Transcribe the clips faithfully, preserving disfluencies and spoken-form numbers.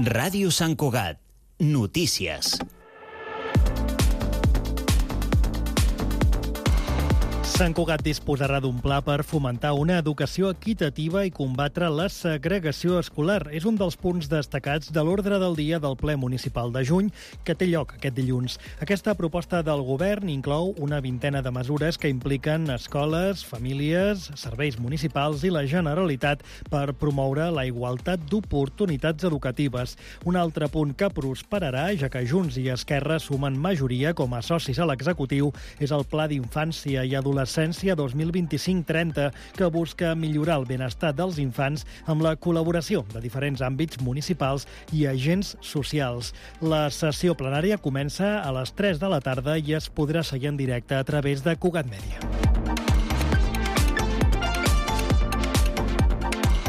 Ràdio Sant Cugat. Notícies. Sant Cugat disposarà d'un pla per fomentar una educació equitativa i combatre la segregació escolar. És un dels punts destacats de l'ordre del dia del ple municipal de juny, que té lloc aquest dilluns. Aquesta proposta del govern inclou una vintena de mesures que impliquen escoles, famílies, serveis municipals i la Generalitat per promoure la igualtat d'oportunitats educatives. Un altre punt que prosperarà, ja que Junts i Esquerra sumen majoria com a socis a l'executiu, és el Pla d'Infància i Adolescència dos mil vint-i-cinc trenta, que busca millorar el benestar dels infants amb la col·laboració de diferents àmbits municipals i agents socials. La sessió plenària comença a les tres de la tarda i es podrà seguir en directe a través de Cugat Mèdia.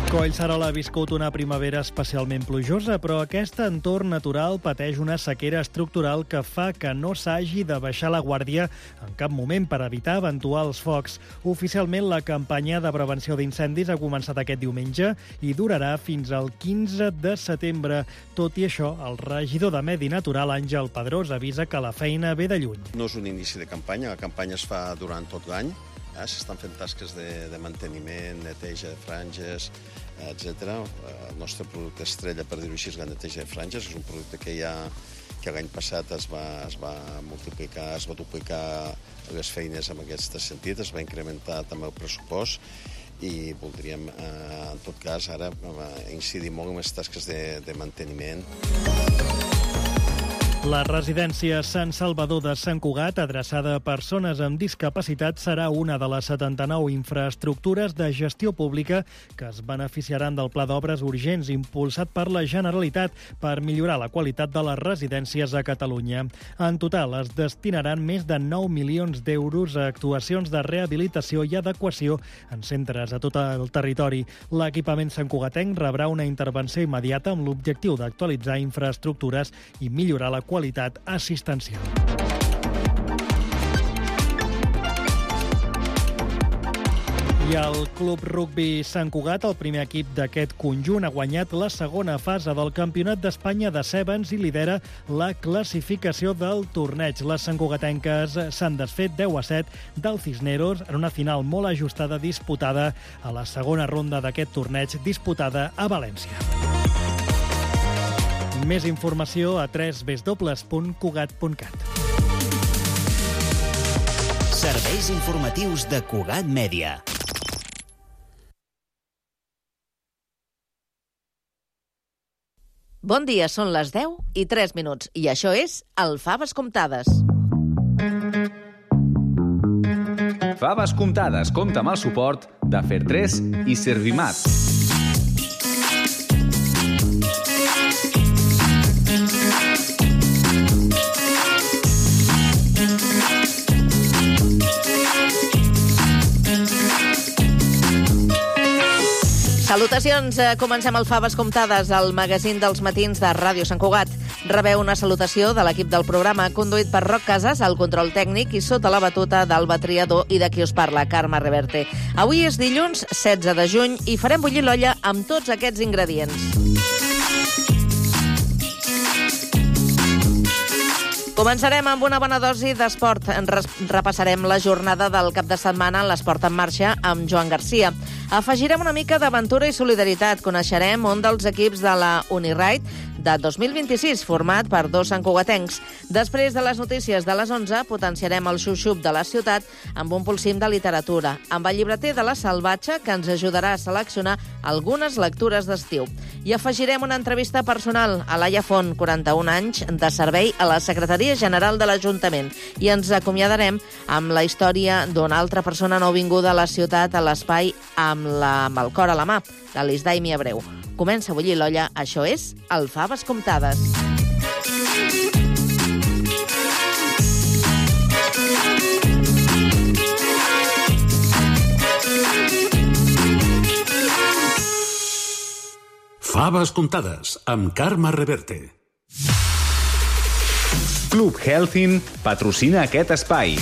Collserola ha viscut una primavera especialment plujosa, però aquest entorn natural pateix una sequera estructural que fa que no s'hagi de baixar la guàrdia en cap moment per evitar eventuals focs. Oficialment, la campanya de prevenció d'incendis ha començat aquest diumenge i durarà fins al quinze de setembre. Tot i això, el regidor de Medi Natural, Àngel Pedrós, avisa que la feina ve de lluny. No és un inici de campanya, la campanya es fa durant tot l'any. Eh, S'estan fent tasques de, de manteniment, neteja de franges, etcètera. El nostre producte estrella, per dir-ho així, és la neteja de franges. És un producte que ja que l'any passat es va, es va multiplicar, es va duplicar les feines en aquest sentit, es va incrementar també el pressupost i voldríem, eh, en tot cas, ara incidir molt en les tasques de, de manteniment. La residència Sant Salvador de Sant Cugat, adreçada a persones amb discapacitat, serà una de les setanta-nou infraestructures de gestió pública que es beneficiaran del Pla d'Obres Urgents impulsat per la Generalitat per millorar la qualitat de les residències a Catalunya. En total, es destinaran més de nou milions d'euros a actuacions de rehabilitació i adequació en centres a tot el territori. L'equipament santcugatenc rebrà una intervenció immediata amb l'objectiu d'actualitzar infraestructures i millorar la qualitat assistencial. I el Club Rugbi Sant Cugat, el primer equip d'aquest conjunt, ha guanyat la segona fase del Campionat d'Espanya de Sevens i lidera la classificació del torneig. Les santcugatenques s'han desfet deu a set del Cisneros en una final molt ajustada disputada a la segona ronda d'aquest torneig disputada a València. Més informació a w w w punt cugat punt cat. Serveis informatius de Cugat Mèdia. Bon dia, són les deu i tres minuts i això és el Faves Comptades. Faves Comptades compta amb el suport de Fertres i Servimat. Salutacions, comencem el Faves Comptades, el magazín dels matins de Ràdio Sant Cugat. Rebeu una salutació de l'equip del programa, conduït per Roc Casas, al control tècnic i sota la batuta d'Alba Triador i de qui us parla, Carme Reverte. Avui és dilluns setze de juny i farem bullir l'olla amb tots aquests ingredients. Començarem amb una bona dosi d'esport. Repassarem la jornada del cap de setmana en l'Esport en Marxa amb Joan Garcia. Afegirem una mica d'aventura i solidaritat. Coneixerem un dels equips de la Uniride de dos mil vint-i-sis, format per dos santcugatencs. Després de les notícies de les onze, potenciarem el xup-xup de la ciutat amb un polsim de literatura, amb el llibreter de la Salvatge, que ens ajudarà a seleccionar algunes lectures d'estiu. I afegirem una entrevista personal a Laia Font, quaranta-un anys, de servei a la Secretaria General de l'Ajuntament. I ens acomiadarem amb la història d'una altra persona nouvinguda a la ciutat, a l'espai amb, la, amb el cor a la mà, l'Alice Daimi Abreu. Comença a bullir l'olla, això és el Faves Comptades. Faves Comptades, amb Carme Reverte. Club Healthin patrocina aquest espai.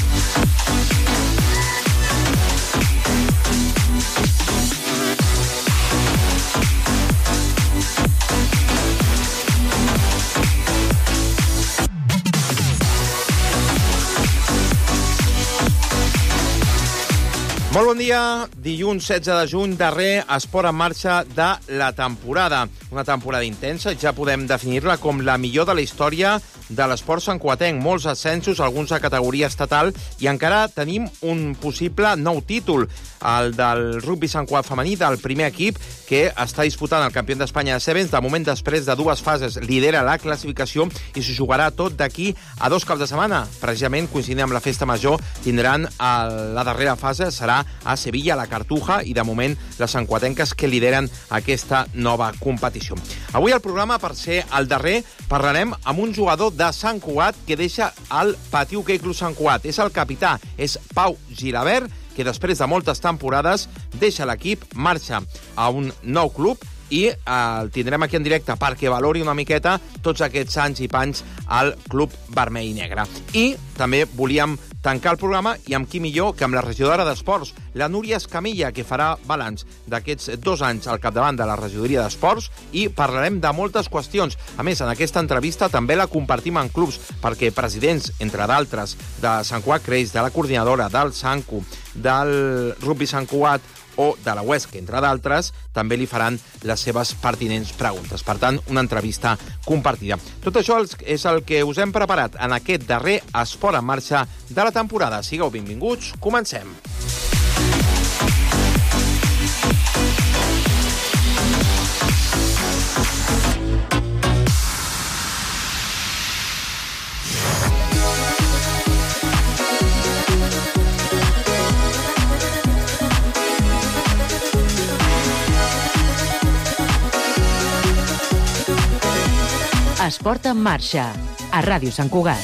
Molt bon dia. Dilluns setze de juny, darrer esport en marxa de la temporada. Una temporada intensa, ja podem definir-la com la millor de la història de l'esport santcugatenc. Molts ascensos, alguns a categoria estatal, i encara tenim un possible nou títol, el del rugbi Sant Cugat femení, del primer equip, que està disputant el campió d'Espanya de Sevens. De moment, després de dues fases, lidera la classificació i s'ho jugarà tot d'aquí a dos caps de setmana. Precisament, coincidint amb la festa major, tindran la darrera fase, serà a Sevilla, a la Cartuja, i de moment les santcugatenques que lideren aquesta nova competició. Avui al programa, per ser el darrer, parlarem amb un jugador de Sant Cugat que deixa el Patí Hoquei Club Sant Cugat. És el capità, és Pau Gilabert, que després de moltes temporades deixa l'equip, marxa a un nou club i eh, el tindrem aquí en directe perquè valori una miqueta tots aquests anys i panys al Club Vermell i Negre. I també volíem tancar el programa, i amb qui millor que amb la regidora d'Esports, la Núria Escamilla, que farà balanç d'aquests dos anys al capdavant de la regidoria d'Esports, i parlarem de moltes qüestions. A més, en aquesta entrevista també la compartim en clubs, perquè presidents, entre d'altres, de Sant Cugat Creix, de la coordinadora, del Sancu, del Rugbi Sant Cugat o de la Huesca, entre d'altres, també li faran les seves pertinents preguntes. Per tant, una entrevista compartida. Tot això és el que us hem preparat en aquest darrer Esport en Marxa de la temporada. Sigueu benvinguts, comencem. Esport en marxa, a Ràdio Sant Cugat.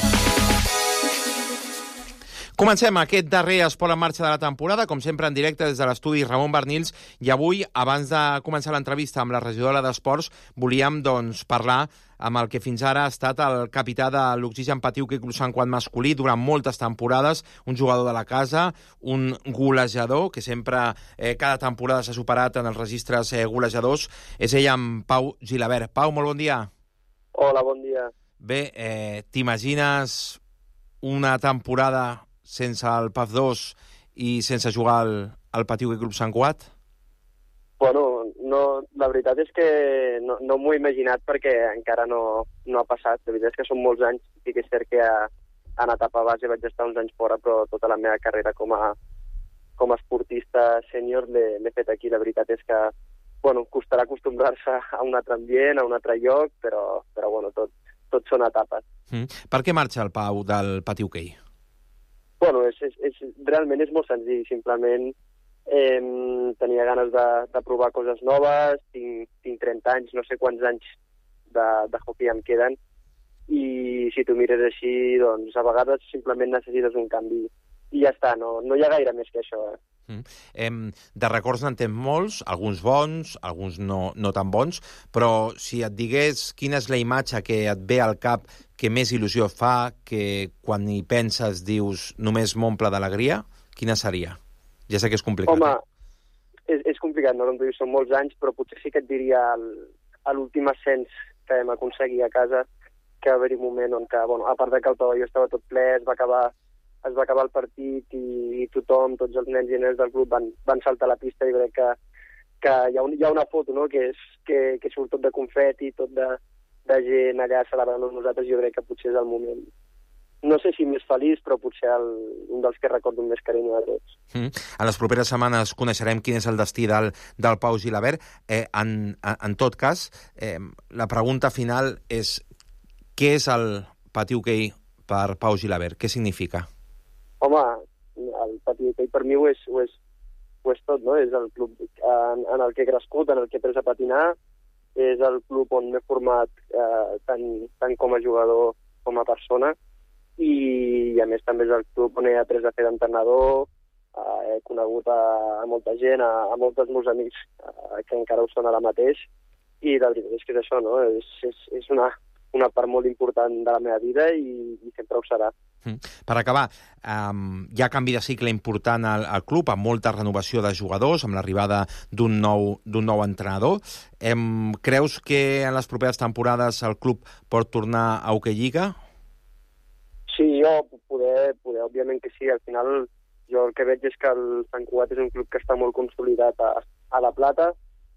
Comencem aquest darrer Esport en Marxa de la temporada, com sempre en directe des de l'estudi Ramon Bernils, i avui, abans de començar l'entrevista amb la regidora d'Esports, volíem doncs, parlar amb el que fins ara ha estat el capità de l'Oxigen Patí Hoquei Club Sant Cugat masculí durant moltes temporades, un jugador de la casa, un golejador, que sempre, eh, cada temporada s'ha superat en els registres eh, golejadors. És ell, amb Pau Gilabert. Pau, molt bon dia. Hola, bon dia. Bé, eh, t'imagines una temporada sense el P A F dos i sense jugar al, al Patí Hoquei Club Sant Cugat? Bueno, no, la veritat és que no, no m'ho he imaginat perquè encara no, no ha passat. La veritat és que són molts anys. Sí que és cert que a, en etapa base vaig estar uns anys fora, però tota la meva carrera com a, com a esportista sènior l'he fet aquí. La veritat és que bueno, costarà acostumbrar-se a un altre ambient, a un altre lloc, però, però bueno, tot, tot són etapes. Mm. Per què marxa el Pau del Patí Hoquei? Bueno, és, és, és, realment és molt senzill. Simplement eh, tenia ganes de, de provar coses noves, tinc, tinc trenta anys, no sé quants anys de, de hoquei em queden, i si tu mires així, doncs a vegades simplement necessites un canvi. I ja està, no, no hi ha gaire més que això, eh? Mm. Em, de records n'en tens molts, alguns bons, alguns no, no tan bons, però si et digués quina és la imatge que et ve al cap que més il·lusió fa, que quan hi penses dius només m'omple d'alegria, quina seria? Ja sé que és complicat. Home, eh? és, és complicat, no? Com tu dius, són molts anys, però potser sí que et diria el, l'últim ascens que vam aconseguir a casa, que va haver-hi un moment on, que, bueno, a part de que el pavelló estava tot ple, es va acabar es va acabar el partit i, i tothom, tots els nens i nenes del club van, van saltar a la pista, i crec que, que hi, ha un, hi ha una foto, no?, que, és, que, que surt tot de confeti, tot de, de gent allà celebrant amb nosaltres. Jo crec que potser és el moment, no sé si més feliç, però potser el, un dels que recordo més carinyo de tots. Mm. En les properes setmanes coneixerem quin és el destí del, del Pau Gilabert. Eh, en, en, en tot cas, eh, la pregunta final és: què és el Patí Hoquei per Pau Gilabert? Què significa? Home, el Patí Hoquei per mi ho és, ho, és, ho és tot, no? És el club en, en el que he crescut, en el que he après a patinar, és el club on m'he format eh, tant, tant com a jugador com a persona, i, i a més també és el club on he après a fer d'entrenador, eh, he conegut a, a molta gent, a, a molts dels meus amics eh, que encara ho són ara mateix, i la veritat és que és això, no? És, és, és una, una part molt important de la meva vida i, i sempre ho serà. Per acabar, um, hi ha canvi de cicle important al, al club, amb molta renovació de jugadors, amb l'arribada d'un nou, d'un nou entrenador. Em, creus que en les properes temporades el club pot tornar a Hoquei Lliga? Sí, jo poder, poder, òbviament que sí. Al final jo el que veig és que el Sant Cugat és un club que està molt consolidat a, a la Plata,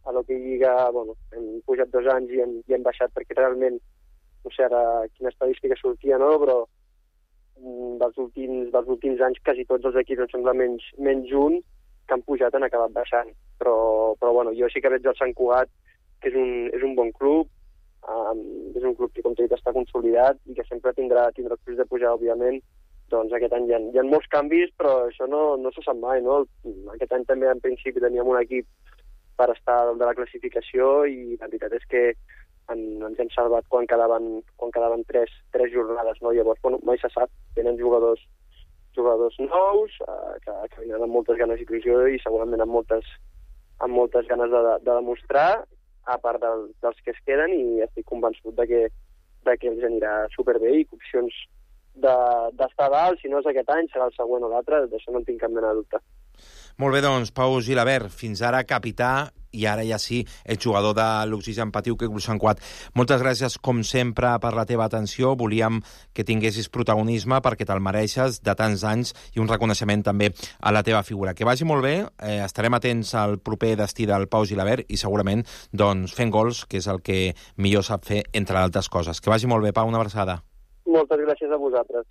a l'Hockey Lliga, bueno, hem pujat dos anys i hem, i hem baixat perquè realment, no sé ara quina estadística sortia, no?, però dels últims, dels últims anys quasi tots els equips, em sembla menys, menys un, que han pujat han acabat baixant. Però, però bueno, jo sí que veig el Sant Cugat, que és un, és un bon club, um, és un club que, com t'he dit, està consolidat i que sempre tindrà, tindrà el de pujar, òbviament. Doncs aquest any hi ha, hi ha molts canvis, però això no, no se sap mai, no? Aquest any també, en principi, teníem un equip per estar dalt de la classificació i la veritat és que en, ens hem salvat quan quedaven, quan quedaven tres, tres jornades, no? Llavors, bueno, mai se sap. Tenen jugadors jugadors nous, eh, que, que venen amb moltes ganes d'il·lusió i segurament amb moltes, amb moltes ganes de, de demostrar, a part del, dels que es queden, i estic convençut de que, de que els anirà superbé i que opcions d'estar de, dalt, si no és aquest any, serà el següent o l'altre, d'això no en tinc cap mena de dubte. Molt bé, doncs, Pau Gilabert, fins ara capità i ara ja sí, el jugador de l'Oxigen Patiu, que Sant Cugat. Moltes gràcies, com sempre, per la teva atenció. Volíem que tinguessis protagonisme perquè te'l mereixes de tants anys i un reconeixement també a la teva figura. Que vagi molt bé, eh, estarem atents al proper destí del Pau Gilabert i segurament doncs, fent gols, que és el que millor sap fer, entre altres coses. Que vagi molt bé, Pau, una abraçada. Moltes gràcies a vosaltres.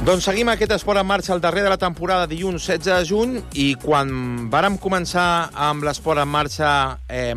Doncs seguim aquest esport en marxa al darrer de la temporada, dilluns setze de juny, i quan vàrem començar amb l'esport en marxa eh,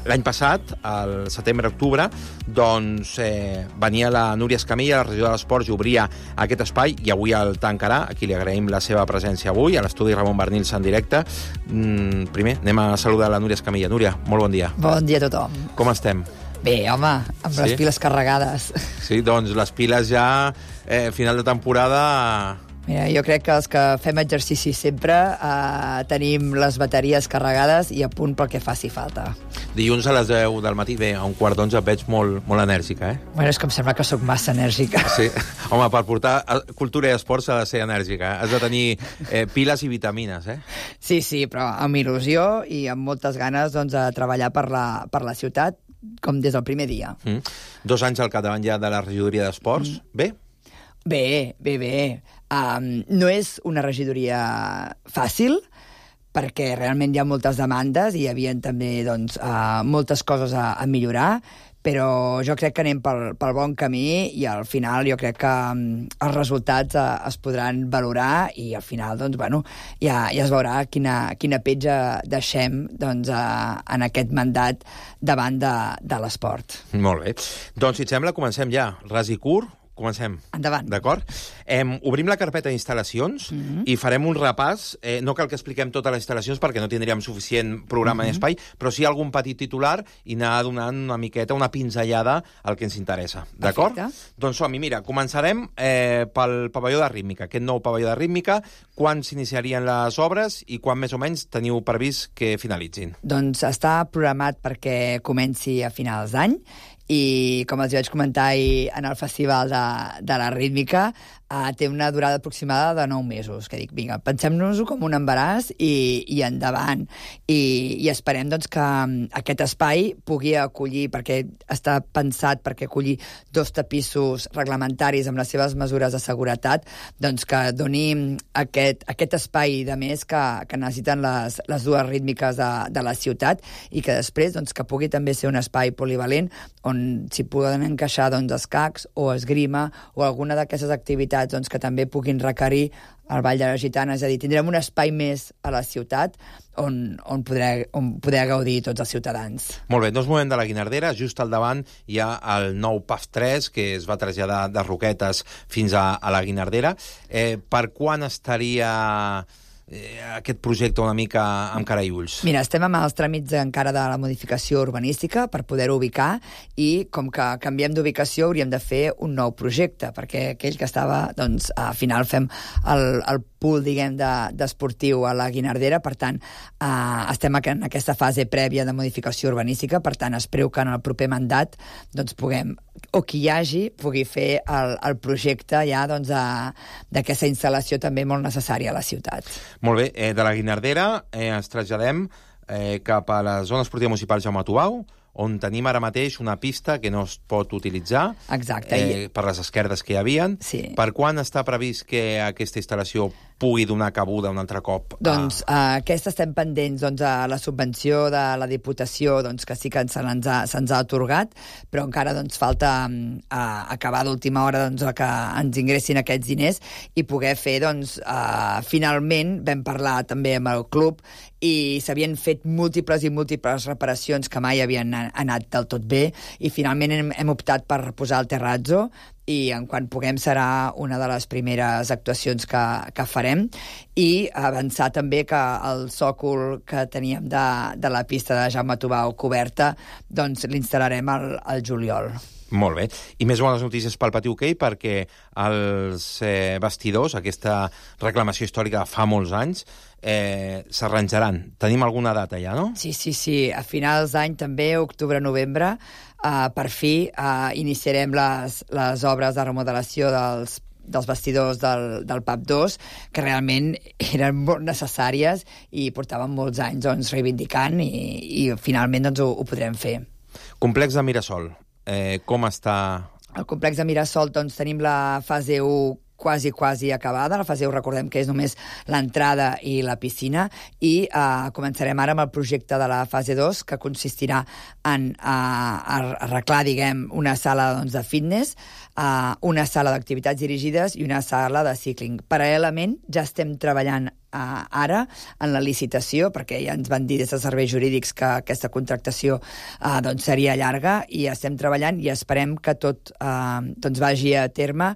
l'any passat, al setembre-octubre, doncs eh, venia la Núria Escamilla, la regidora de l'Esports, i obria aquest espai, i avui el tancarà. Aquí li agraïm la seva presència avui, a l'estudi Ramon Bernils en directe. Mm, primer, anem a saludar la Núria Escamilla. Núria, molt bon dia. Bon dia a tothom. Com estem? Bé, home, amb sí? les piles carregades. Sí, doncs les piles ja, eh, final de temporada... Mira, jo crec que els que fem exercici sempre eh, tenim les bateries carregades i a punt pel que faci falta. Dilluns a les deu del matí, bé, a un quart d'onze et veig molt, molt enèrgica, eh? Bueno, és que em sembla que sóc massa enèrgica. Sí, home, per portar cultura i esport s'ha de ser enèrgica, eh? Has de tenir eh, piles i vitamines, eh? Sí, sí, però amb il·lusió i amb moltes ganes doncs, de treballar per la, per la ciutat, com des del primer dia. Mm. Dos anys al capdavant ja de la regidoria d'Esports. Mm. Bé? Bé, bé, bé. Um, no és una regidoria fàcil, perquè realment hi ha moltes demandes i hi havia també doncs, uh, moltes coses a, a millorar, però jo crec que anem pel, pel bon camí i al final jo crec que um, els resultats uh, es podran valorar i al final doncs, bueno, ja, ja es veurà quina, quina petja deixem doncs, uh, en aquest mandat davant de, de l'esport. Molt bé. Doncs, si et sembla, comencem ja. Ras i curt. Comencem. Endavant. D'acord? Eh, obrim la carpeta d'instal·lacions mm-hmm. i farem un repàs. Eh, no cal que expliquem totes les instal·lacions perquè no tindríem suficient programa mm-hmm. ni espai, però sí algun petit titular i anar donant una miqueta, una pinzellada al que ens interessa. D'acord? Doncs som-hi. Mira, començarem eh, pel pavelló de rítmica. Aquest nou pavelló de rítmica, quan s'iniciarien les obres i quan més o menys teniu previst que finalitzin? Doncs està programat perquè comenci a finals d'any i, com els vaig comentar ahir en el Festival de, de la Rítmica, uh, té una durada aproximada de nou mesos, que dic, vinga, pensem-nos-ho com un embaràs i, i endavant. I, i esperem doncs, que aquest espai pugui acollir, perquè està pensat perquè acollir dos tapissos reglamentaris amb les seves mesures de seguretat, doncs que doni aquest, aquest espai de més que, que necessiten les, les dues rítmiques de, de la ciutat i que després doncs, que pugui també ser un espai polivalent on s'hi poden encaixar doncs, escacs o esgrima o alguna d'aquestes activitats doncs, que també puguin requerir el Ball de la Gitana. És a dir, tindrem un espai més a la ciutat on, on, poder, on poder gaudir tots els ciutadans. Molt bé, no ens movem de la Guinardera. Just al davant hi ha el nou P A F tres, que es va traslladar de Roquetes fins a, a la Guinardera. Eh, per quan estaria eh, aquest projecte una mica amb cara i ulls? Mira, estem amb els tràmits encara de la modificació urbanística per poder-ho ubicar i com que canviem d'ubicació hauríem de fer un nou projecte, perquè aquell que estava, doncs, al final fem el, el pool, diguem, d'esportiu de, a la Guinardera, per tant, eh, estem en aquesta fase prèvia de modificació urbanística, per tant, espero que en el proper mandat doncs, puguem, o qui hi hagi, pugui fer el, el projecte ja doncs, d'aquesta instal·lació també molt necessària a la ciutat. Molt bé, eh, de la Guinardera eh, ens traslladem eh, cap a la zona esportiva municipal Jaume Tubau, on tenim ara mateix una pista que no es pot utilitzar. Exacte. Eh, per les esquerdes que hi havien. Sí. Per quan està previst que aquesta instal·lació pugui donar cabuda un altre cop? A... Doncs uh, aquesta estem pendents doncs, a la subvenció de la Diputació, doncs, que sí que se'ns ha, se'ns ha atorgat, però encara doncs, falta uh, acabar d'última hora doncs, que ens ingressin aquests diners i poder fer, doncs, uh, finalment, vam parlar també amb el club i s'havien fet múltiples i múltiples reparacions que mai havien anat del tot bé i finalment hem, hem optat per posar el terrazzo i en quan puguem serà una de les primeres actuacions que, que farem i avançar també que el sòcol que teníem de, de la pista de Jaume Tubau coberta doncs l'instal·larem al, al juliol. Molt bé. I més bones notícies pel Pati Hoquei perquè els eh, vestidors, aquesta reclamació històrica fa molts anys, eh, s'arranjaran. Tenim alguna data ja, no? Sí, sí, sí. A finals d'any també, octubre-novembre, eh, per fi eh, iniciarem les, les obres de remodelació dels dels vestidors del, del P A P dos, que realment eren molt necessàries i portaven molts anys doncs, reivindicant i, i finalment doncs, ho, ho podrem fer. Complex de Mirasol. Eh, com està? Al complex de Mirasol doncs, tenim la fase u quasi, quasi acabada. La fase u, recordem que és només l'entrada i la piscina, i eh, començarem ara amb el projecte de la fase dos, que consistirà en eh, arreglar, diguem, una sala doncs, de fitness, eh, una sala d'activitats dirigides i una sala de cicling. Paral·lelament, ja estem treballant Uh, ara en la licitació, perquè ja ens van dir des de serveis jurídics que aquesta contractació uh, doncs seria llarga i estem treballant i esperem que tot uh, doncs vagi a terme.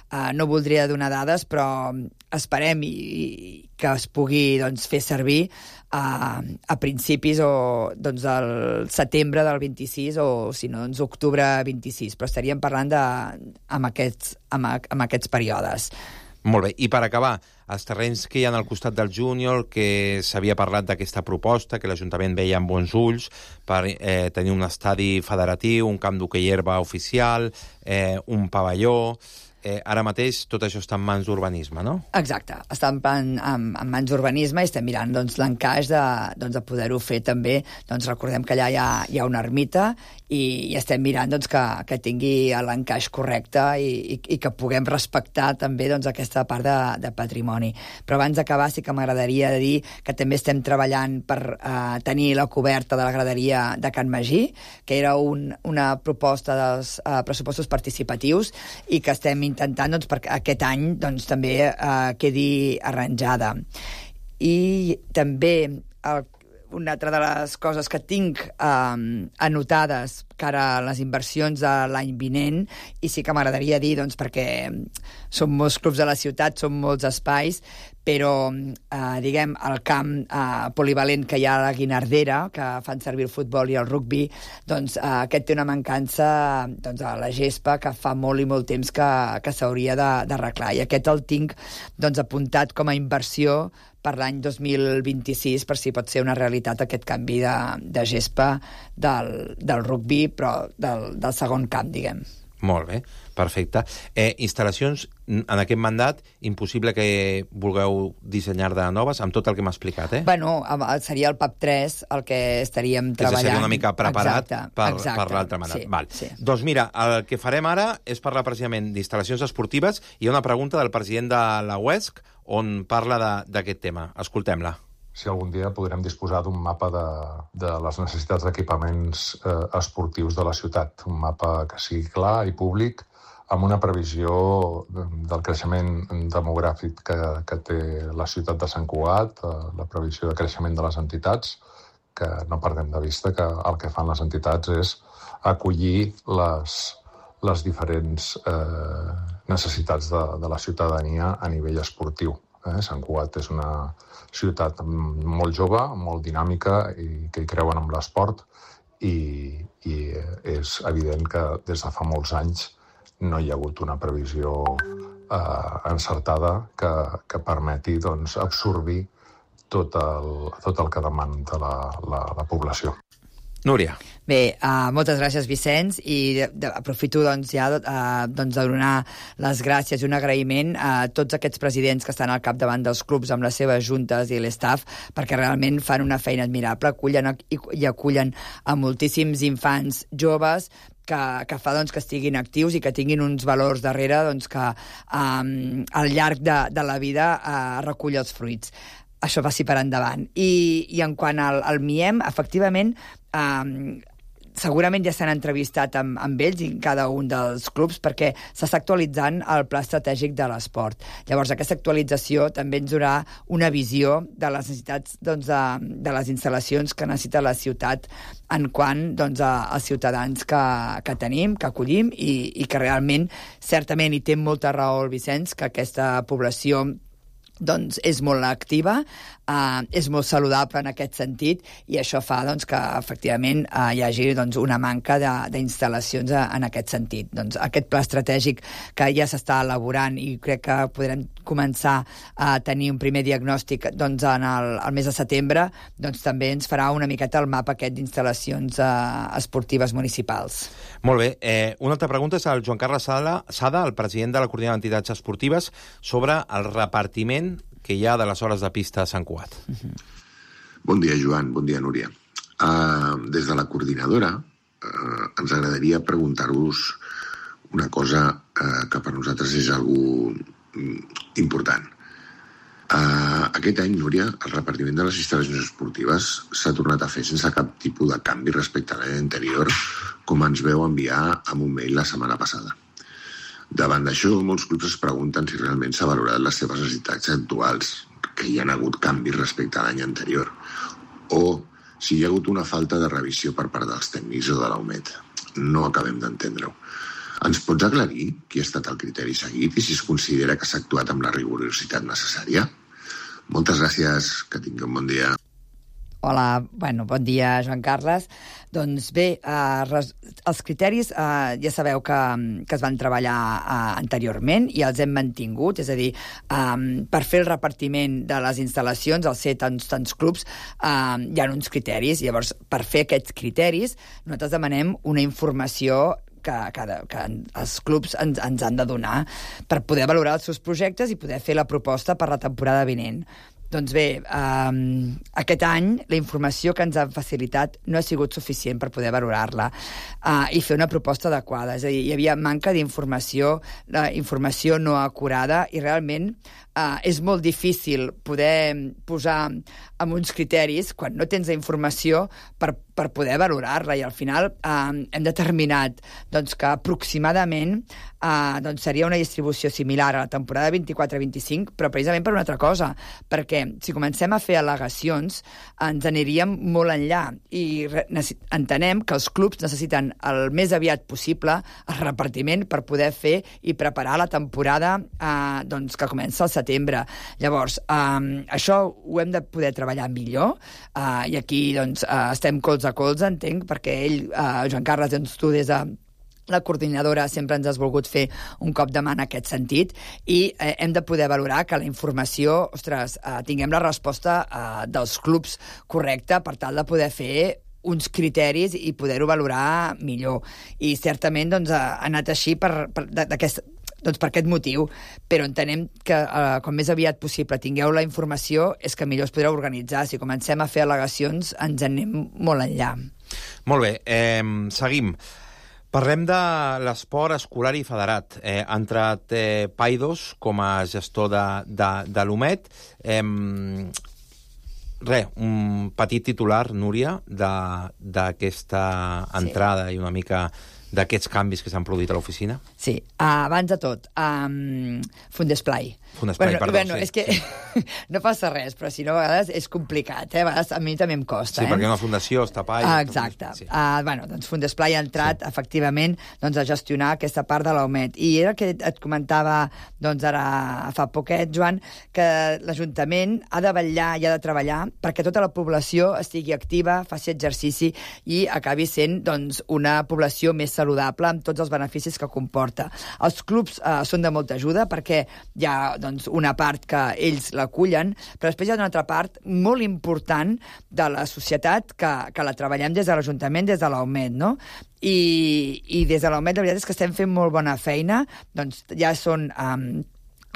Uh, no voldria donar dades, però esperem i, i que es pugui doncs, fer servir uh, a principis o doncs, del setembre del vint-i-sis o, si no, doncs, octubre vint-i-sis, però estaríem parlant de, amb, aquests, amb, amb aquests períodes. Molt bé. I per acabar, els terrenys que hi ha al costat del Júnior, que s'havia parlat d'aquesta proposta, que l'Ajuntament veia amb bons ulls per eh, tenir un estadi federatiu, un camp d'hoquei herba oficial, eh, un pavelló... Eh, ara mateix tot això està en mans d'urbanisme, no? Exacte, està en, en, en mans d'urbanisme i estem mirant doncs, l'encaix de, doncs, de poder-ho fer també. Doncs, recordem que allà hi ha, hi ha una ermita i, i estem mirant doncs, que, que tingui l'encaix correcte i, i, i que puguem respectar també doncs, aquesta part de, de patrimoni. Però abans d'acabar sí que m'agradaria dir que també estem treballant per eh, tenir la coberta de la graderia de Can Magí, que era un, una proposta dels eh, pressupostos participatius i que estem intentant doncs, perquè aquest any doncs, també eh, quedi arranjada. I també el, una altra de les coses que tinc eh, anotades cara a les inversions de l'any vinent, i sí que m'agradaria dir, doncs, perquè són molts clubs de la ciutat, són molts espais, però, eh, diguem, el camp eh, polivalent que hi ha a la Guinardera, que fan servir el futbol i el rugbi, doncs eh, aquest té una mancança doncs, a la gespa que fa molt i molt temps que, que s'hauria d'arreglar. I aquest el tinc doncs, apuntat com a inversió per l'any dos mil vint-i-sis, per si pot ser una realitat aquest canvi de, de gespa del, del rugbi, però del, del segon camp, diguem. Molt bé, perfecte. Eh, instal·lacions, en aquest mandat, impossible que vulgueu dissenyar de noves, amb tot el que m'ha explicat, eh? Bueno, seria el P A P tres el que estaríem treballant. Que seria una mica preparat exacte, per, exacte, per l'altre mandat. Sí, Val. sí. Doncs mira, el que farem ara és parlar precisament d'instal·lacions esportives. Hi ha una pregunta del president de la U E S C on parla d'aquest tema. Escoltem-la. Si algun dia podrem disposar d'un mapa de, de les necessitats d'equipaments eh, esportius de la ciutat. Un mapa que sigui clar i públic, amb una previsió del creixement demogràfic que, que té la ciutat de Sant Cugat, eh, la previsió de creixement de les entitats, que no perdem de vista que el que fan les entitats és acollir les, les diferents eh, necessitats de, de la ciutadania a nivell esportiu. Eh? Sant Cugat és una ciutat molt jove, molt dinàmica i que hi creuen amb l'esport i, i és evident que des de fa molts anys no hi ha hagut una previsió eh, encertada que, que permeti doncs, absorbir tot el, tot el que demanda la, la, la població. Núria. Bé, uh, moltes gràcies, Vicenç, i de, de, aprofito doncs, ja uh, doncs, de donar les gràcies i un agraïment a tots aquests presidents que estan al capdavant dels clubs amb les seves juntes i l'estaf, perquè realment fan una feina admirable, acullen i, i acullen a moltíssims infants joves que, que fa doncs, que estiguin actius i que tinguin uns valors darrere doncs, que um, al llarg de, de la vida uh, recull els fruits. Això passi per endavant. I, i en quant al, al M I E M, efectivament, eh, segurament ja s'han entrevistat amb, amb ells i cada un dels clubs perquè s'està actualitzant el pla estratègic de l'esport. Llavors, aquesta actualització també ens donarà una visió de les necessitats doncs, de, de les instal·lacions que necessita la ciutat en quant doncs, a, als ciutadans que, que tenim, que acollim i, i que realment, certament, hi té molta raó el Vicenç, que aquesta població doncs és molt activa, eh, és molt saludable en aquest sentit i això fa doncs, que efectivament eh, hi hagi doncs, una manca d'instal·lacions en aquest sentit. Doncs, aquest pla estratègic que ja s'està elaborant i crec que podrem començar a tenir un primer diagnòstic doncs, en el, el mes de setembre, doncs, també ens farà una miqueta el mapa aquest d'instal·lacions eh, esportives municipals. Molt bé. Eh, una altra pregunta és al Joan Carles Sada, Sada, el president de la Coordinadora d'Entitats Esportives, sobre el repartiment que hi ha de les hores de pista a Sant Cugat. Uh-huh. Bon dia, Joan. Bon dia, Núria. Uh, des de la coordinadora uh, ens agradaria preguntar-vos una cosa uh, que per nosaltres és algo important. Uh, aquest any, Núria, el repartiment de les instal·lacions esportives s'ha tornat a fer sense cap tipus de canvi respecte a l'any anterior, com ens veu enviar amb un mail la setmana passada. Davant d'això, molts clubs es pregunten si realment s'ha valorat les seves necessitats actuals, que hi ha hagut canvis respecte a l'any anterior, o si hi ha hagut una falta de revisió per part dels tècnics o de la U M E T. No acabem d'entendre-ho. Ens pots aclarir qui ha estat el criteri seguit i si es considera que s'ha actuat amb la rigorositat necessària? Moltes gràcies, que tingui un bon dia. Hola, bueno, bon dia, Joan Carles. Doncs bé, eh, res, els criteris eh, ja sabeu que, que es van treballar eh, anteriorment i els hem mantingut, és a dir, eh, per fer el repartiment de les instal·lacions, al ser tants, tants clubs, eh, hi ha uns criteris. Llavors, per fer aquests criteris, nosaltres demanem una informació que, que, que els clubs ens, ens han de donar per poder valorar els seus projectes i poder fer la proposta per la temporada vinent. Doncs bé, um, aquest any la informació que ens han facilitat no ha sigut suficient per poder valorar-la uh, i fer una proposta adequada. És a dir, hi havia manca d'informació, la informació no acurada i realment uh, és molt difícil poder posar amb uns criteris quan no tens la informació per, per poder valorar-la i al final uh, hem determinat doncs, que aproximadament uh, doncs seria una distribució similar a la temporada vint-i-quatre vint-i-cinc, però precisament per una altra cosa, perquè si comencem a fer al·legacions ens aniríem molt enllà i entenem que els clubs necessiten el més aviat possible el repartiment per poder fer i preparar la temporada eh, doncs, que comença al setembre. Llavors, eh, això ho hem de poder treballar millor eh, i aquí doncs, eh, estem colze a colze, entenc, perquè ell, eh, Joan Carles, doncs, tu des de la coordinadora sempre ens has volgut fer un cop de mà en aquest sentit i eh, hem de poder valorar que la informació, ostres, eh, tinguem la resposta eh, dels clubs correcta per tal de poder fer uns criteris i poder-ho valorar millor. I certament doncs, ha anat així per, per, d'aquest, doncs per aquest motiu, però entenem que eh, com més aviat possible tingueu la informació és que millor es podrà organitzar. Si comencem a fer al·legacions ens anem molt enllà. Molt bé, eh, seguim. Parlem de l'esport escolar i federat. Eh, ha entrat eh, Paidos com a gestor de, de, de l'U M E D. Eh, Re, un petit titular, Núria, d'aquesta entrada sí. i una mica d'aquests canvis que s'han produït a l'oficina? Sí, uh, abans de tot, um, Fundesplai. Fundesplai, bueno, perdó. Bueno, sí, és que sí. no passa res, però si no, a vegades és complicat, eh? A vegades a mi també em costa. Sí, eh? perquè una fundació està pa... Ah, exacte. Sí. Uh, bueno, doncs Fundesplai ha entrat, sí. efectivament, doncs, a gestionar aquesta part de l'U M E D. I era el que et comentava doncs, ara fa poquet, Joan, que l'Ajuntament ha de vetllar i ha de treballar perquè tota la població estigui activa, faci exercici i acabi sent doncs, una població més saludable amb tots els beneficis que comporta. Els clubs eh, són de molta ajuda perquè hi ha doncs, una part que ells l'acullen, però després hi ha una altra part molt important de la societat que, que la treballem des de l'Ajuntament, des de l'U M E D, no? I, i des de l'U M E D la veritat és que estem fent molt bona feina, doncs ja són... Um,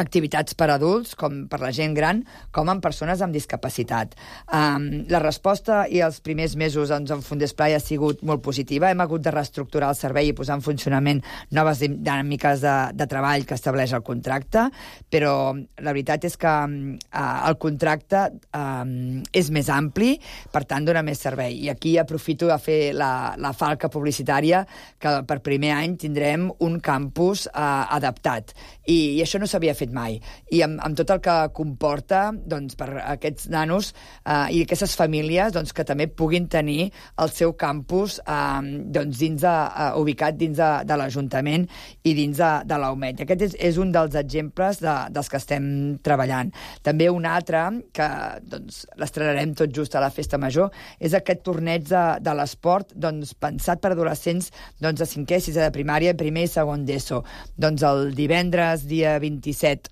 activitats per adults, com per la gent gran, com en persones amb discapacitat. Um, la resposta i els primers mesos doncs, en Fundesplai ha sigut molt positiva. Hem hagut de reestructurar el servei i posar en funcionament noves dinàmiques de, de treball que estableix el contracte, però la veritat és que uh, el contracte um, és més ampli, per tant dona més servei. I aquí aprofito a fer la, la falca publicitària que per primer any tindrem un campus uh, adaptat. I, i això no s'havia fet mai. I amb, amb tot el que comporta doncs, per aquests nanos eh, i aquestes famílies doncs, que també puguin tenir el seu campus eh, doncs, dins de, uh, ubicat dins de, de l'Ajuntament i dins de, de l'U M E D. Aquest és, és un dels exemples de, dels que estem treballant. També un altre, que doncs, l'estrenarem tot just a la Festa Major, és aquest torneig de, de l'esport doncs, pensat per adolescents doncs, de cinquè, sisè de primària, primer i segon d'ESO. Doncs el divendres, dia vint-i-set,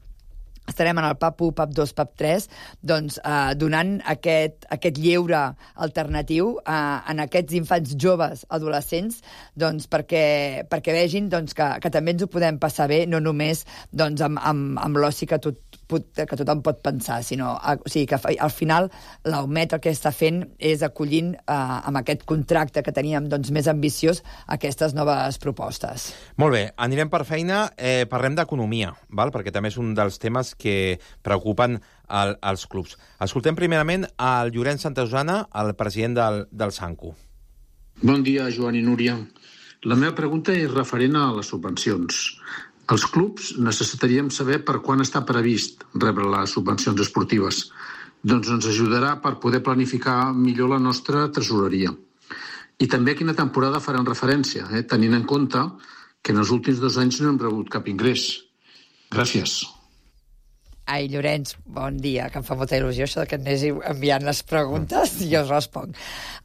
estarem en el P A P u, P A P dos, P A P tres, doncs, eh, donant aquest, aquest lleure alternatiu eh, en aquests infants joves, adolescents, doncs, perquè, perquè vegin doncs, que, que també ens ho podem passar bé, no només doncs, amb, amb, amb l'oci que, tot, que tothom pot pensar, sinó o sigui, que al final l'U M E D el que està fent és acollint eh, amb aquest contracte que teníem doncs, més ambiciós aquestes noves propostes. Molt bé, anirem per feina, eh, parlem d'economia, val? Perquè també és un dels temes que preocupen el, els clubs. Escoltem primerament al Llorenç Santosana, el president del, del Sanco. Bon dia, Joan i Núria. La meva pregunta és referent a les subvencions. Els clubs necessitaríem saber per quan està previst rebre les subvencions esportives. Doncs ens ajudarà per poder planificar millor la nostra tresoreria. I també a quina temporada faran referència, eh? tenint en compte que en els últims dos anys no hem rebut cap ingrés. Gràcies. Ai, Llorenç, bon dia, que em fa molta il·lusió això que anéssiu enviant les preguntes i jo us responc.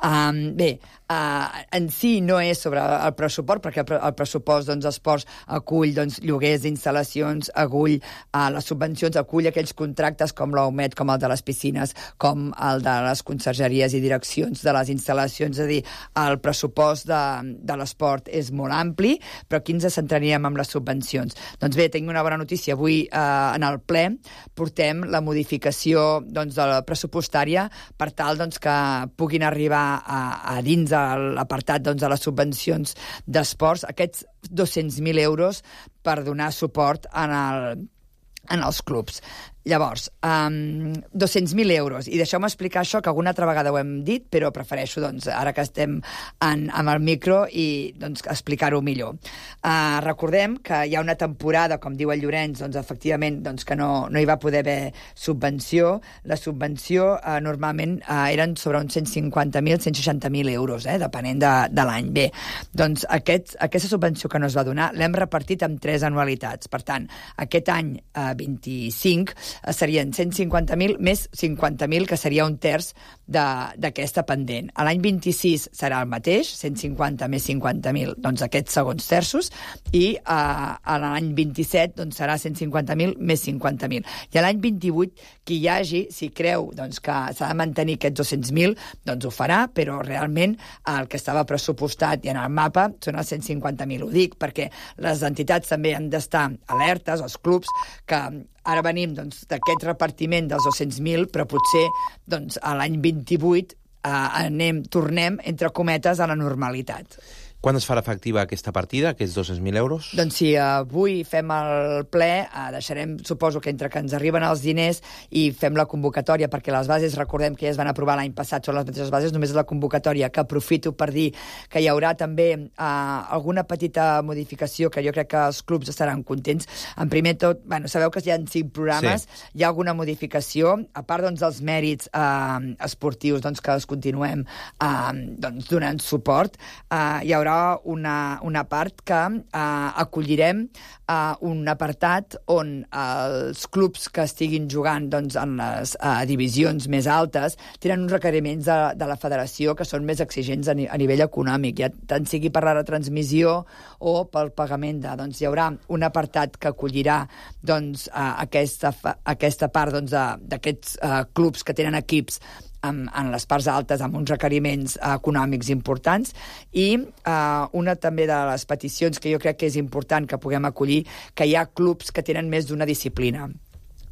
Um, bé, uh, en si no és sobre el pressupost, perquè el pressupost doncs, esports acull doncs, lloguers d'instal·lacions, acull uh, les subvencions, acull aquells contractes com l'U M E D, com el de les piscines, com el de les consergeries i direccions de les instal·lacions. És a dir, el pressupost de, de l'esport és molt ampli, però aquí ens centraríem en les subvencions. Doncs bé, tinc una bona notícia. Avui uh, en el ple portem la modificació doncs, de la pressupostària per tal doncs, que puguin arribar a, a dins de l'apartat doncs, de les subvencions d'esports aquests dos-cents mil euros per donar suport en, el, en els clubs. Llavors, um, dos-cents mil euros. I deixeu-me explicar això, que alguna altra vegada ho hem dit, però prefereixo, doncs, ara que estem en, amb el micro, i doncs, explicar-ho millor. Uh, recordem que hi ha una temporada, com diu el Llorenç, doncs, efectivament, doncs, que no, no hi va poder haver subvenció. La subvenció uh, normalment uh, eren sobre uns cent cinquanta mil, cent seixanta mil euros, eh, depenent de, de l'any. Bé, doncs aquest, aquesta subvenció que no es va donar l'hem repartit en tres anualitats. Per tant, aquest any uh, vint-i-cinc serien cent cinquanta mil més cinquanta mil, que seria un terç d'aquesta pendent. A l'any vint-i-sis serà el mateix, cent cinquanta més cinquanta mil, doncs aquests segons terços, i a, a l'any vint-i-set doncs, serà cent cinquanta mil més cinquanta mil. I a l'any vint-i-vuit, qui hi hagi, si creu doncs, que s'ha de mantenir aquests dos-cents mil, doncs ho farà, però realment el que estava pressupostat i en el mapa són els cent cinquanta mil. Ho dic perquè les entitats també han d'estar alertes, els clubs, que ara venim doncs, d'aquest repartiment dels dos-cents mil, però potser doncs, a l'any vint-i-vuit eh, anem, tornem, entre cometes, a la normalitat. Quan es farà efectiva aquesta partida, aquests dos-cents mil euros? Doncs si avui fem el ple, eh, deixarem, suposo que entre que ens arriben els diners i fem la convocatòria, perquè les bases, recordem que ja es van aprovar l'any passat, són les mateixes bases, només la convocatòria, que aprofito per dir que hi haurà també eh, alguna petita modificació que jo crec que els clubs estaran contents. En primer tot, bueno, sabeu que hi ha cinc programes, sí. Hi ha alguna modificació, a part doncs, dels mèrits eh, esportius doncs, que els continuem eh, doncs, donant suport, eh, hi haurà Una, una part que eh, acollirem eh, un apartat on els clubs que estiguin jugant doncs, en les eh, divisions més altes tenen uns requeriments de, de la federació que són més exigents a, ni, a nivell econòmic, ja tant sigui per la retransmissió o pel pagament de... Doncs hi haurà un apartat que acollirà doncs, eh, aquesta, aquesta part doncs, d'aquests eh, clubs que tenen equips En, en les parts altes, amb uns requeriments eh, econòmics importants, i eh, una també de les peticions que jo crec que és important que puguem acollir, que hi ha clubs que tenen més d'una disciplina.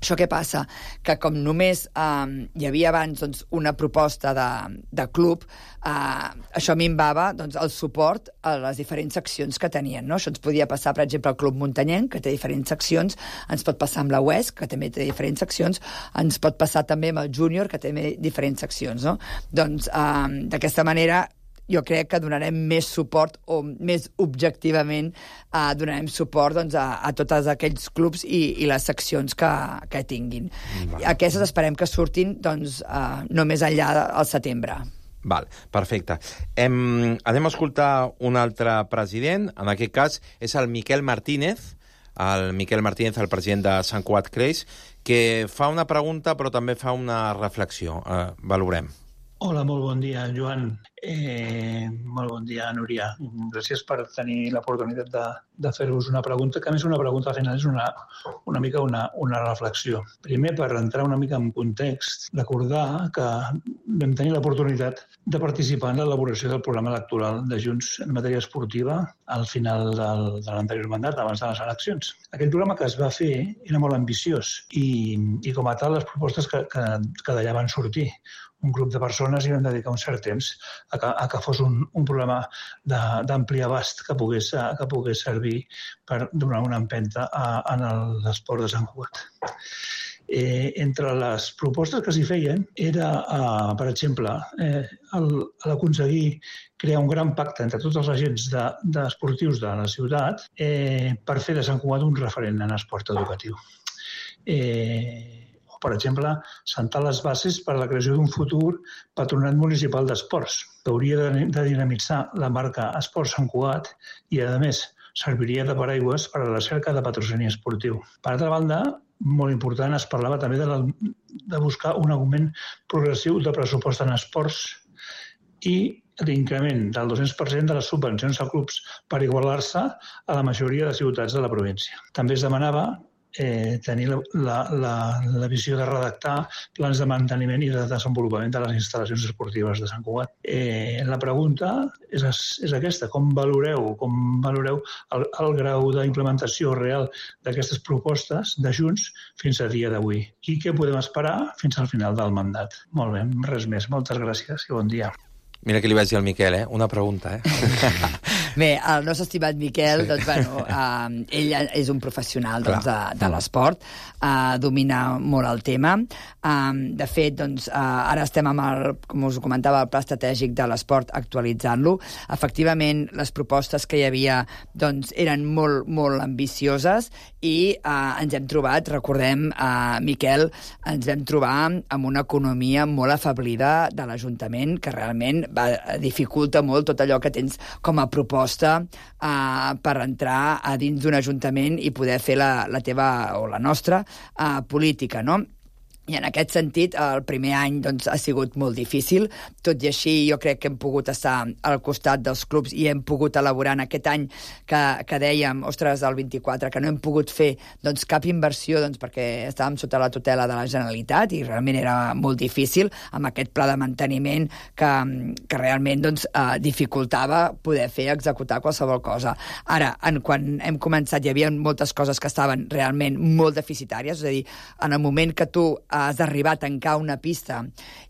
Això què passa? Que com només eh, hi havia abans doncs, una proposta de, de club, eh, això minvava doncs, el suport a les diferents seccions que tenien. No? Això ens podia passar, per exemple, al Club Muntanyenc, que té diferents seccions, ens pot passar amb la U E S, que també té diferents seccions, ens pot passar també amb el Júnior, que té diferents seccions. No? Doncs, eh, d'aquesta manera, jo crec que donarem més suport, o més objectivament eh, donarem suport doncs, a, a tots aquells clubs i, i les seccions que, que tinguin. Vale. Aquestes esperem que surtin doncs, eh, no més enllà del setembre. Val, perfecte. Hem, anem a escoltar un altre president, en aquest cas és el Miquel Martínez, el Miquel Martínez, el president de Sant Cugat Creix, que fa una pregunta però també fa una reflexió. Eh, valorem. Hola, molt bon dia, Joan. Eh, molt bon dia, Núria. Gràcies per tenir l'oportunitat de, de fer-vos una pregunta, que a més una pregunta al final és una, una mica una, una reflexió. Primer, per entrar una mica en context, recordar que vam tenir l'oportunitat de participar en l'elaboració del programa electoral de Junts en matèria esportiva al final del, de l'anterior mandat, abans de les eleccions. Aquell programa que es va fer era molt ambiciós i, i com a tal les propostes que, que, que d'allà van sortir. Un grup de persones hi van dedicar un cert temps a que, a que fos un, un programa d'ampli abast que pogués, que pogués servir per donar una empenta a, a l'esport de Sant Cugat. Eh, entre les propostes que s'hi feien era, eh, per exemple, eh, l'aconseguir crear un gran pacte entre tots els agents de, de esportius de la ciutat eh, per fer de Sant Cugat un referent en esport educatiu. Eh, Per exemple, sentar les bases per a la creació d'un futur patronat municipal d'esports, que hauria de dinamitzar la marca Esport Sant Cugat i, a més, serviria de paraigües per a la cerca de patrocini esportiu. Per altra banda, molt important, es parlava també de, la, de buscar un augment progressiu de pressupost en esports i l'increment del dos-cents per cent de les subvencions a clubs per igualar-se a la majoria de ciutats de la província. També es demanava Eh, tenir la, la, la, la visió de redactar plans de manteniment i de desenvolupament de les instal·lacions esportives de Sant Cugat. Eh, la pregunta és, és aquesta, com valoreu, com valoreu el, el grau d'implementació real d'aquestes propostes de Junts fins a dia d'avui? I què podem esperar fins al final del mandat? Molt bé, res més. Moltes gràcies i bon dia. Mira que li vaig dir al Miquel, eh? Una pregunta, eh? Bé, el nostre estimat Miquel, sí. doncs, bueno, uh, ell és un professional doncs, de, de l'esport, uh, domina molt el tema. Uh, de fet, doncs, uh, ara estem amb el, com us comentava, el pla estratègic de l'esport, actualitzant-lo. Efectivament, les propostes que hi havia doncs, eren molt, molt ambicioses i uh, ens hem trobat, recordem, uh, Miquel, ens vam trobar amb una economia molt afablida de l'Ajuntament, que realment va, dificulta molt tot allò que tens com a proposta proposta uh, per entrar a dins d'un ajuntament i poder fer la, la teva o la nostra uh, política, no? I en aquest sentit, el primer any doncs, ha sigut molt difícil. Tot i així, jo crec que hem pogut estar al costat dels clubs i hem pogut elaborar en aquest any que, que dèiem, ostres, el vint-i-quatre, que no hem pogut fer doncs, cap inversió doncs, perquè estàvem sota la tutela de la Generalitat i realment era molt difícil amb aquest pla de manteniment que, que realment doncs, eh, dificultava poder fer, executar qualsevol cosa. Ara, en, quan hem començat, hi havia moltes coses que estaven realment molt deficitàries, és a dir, en el moment que tu has d'arribar a tancar una pista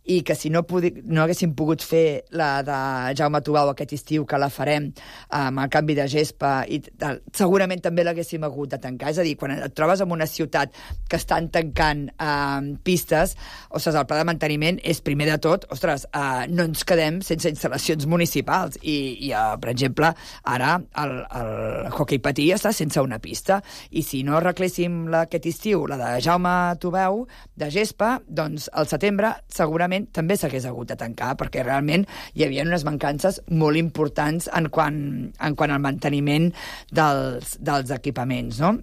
i que si no, pudi, no haguéssim pogut fer la de Jaume Tubau aquest estiu, que la farem amb el canvi de gespa, i tal, segurament també l'haguéssim hagut de tancar. És a dir, quan et trobes en una ciutat que estan tancant eh, pistes, ostres, el pla de manteniment és, primer de tot, ostres, eh, no ens quedem sense instal·lacions municipals. I, i eh, per exemple, ara el, el hoquei patí està sense una pista. I si no arregléssim la, aquest estiu, la de Jaume Tubau, de gespa, doncs al setembre segurament també s'hagués hagut de tancar, perquè realment hi havia unes mancances molt importants en quant, en quant al manteniment dels, dels equipaments, no?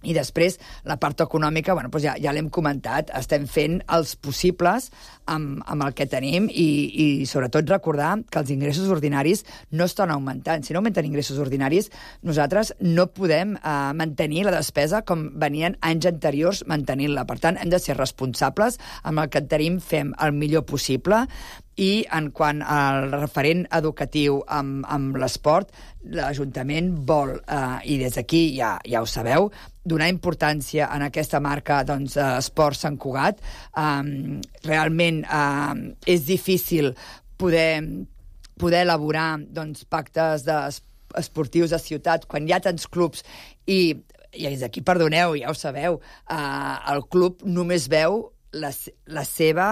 I després, la part econòmica, bueno, doncs ja, ja l'hem comentat, estem fent els possibles amb, amb el que tenim i, i sobretot recordar que els ingressos ordinaris no estan augmentant. Si no augmenten ingressos ordinaris, nosaltres no podem eh, mantenir la despesa com venien anys anteriors mantenint-la. Per tant, hem de ser responsables amb el que tenim, fem el millor possible. I en quant al referent educatiu amb, amb l'esport, l'Ajuntament vol, eh, i des d'aquí ja, ja ho sabeu, donar importància en aquesta marca doncs, Esport Sant Cugat. Eh, realment eh, és difícil poder, poder elaborar doncs, pactes de, esportius de ciutat quan hi ha tants clubs i, i des d'aquí, perdoneu, ja ho sabeu, eh, el club només veu la, la seva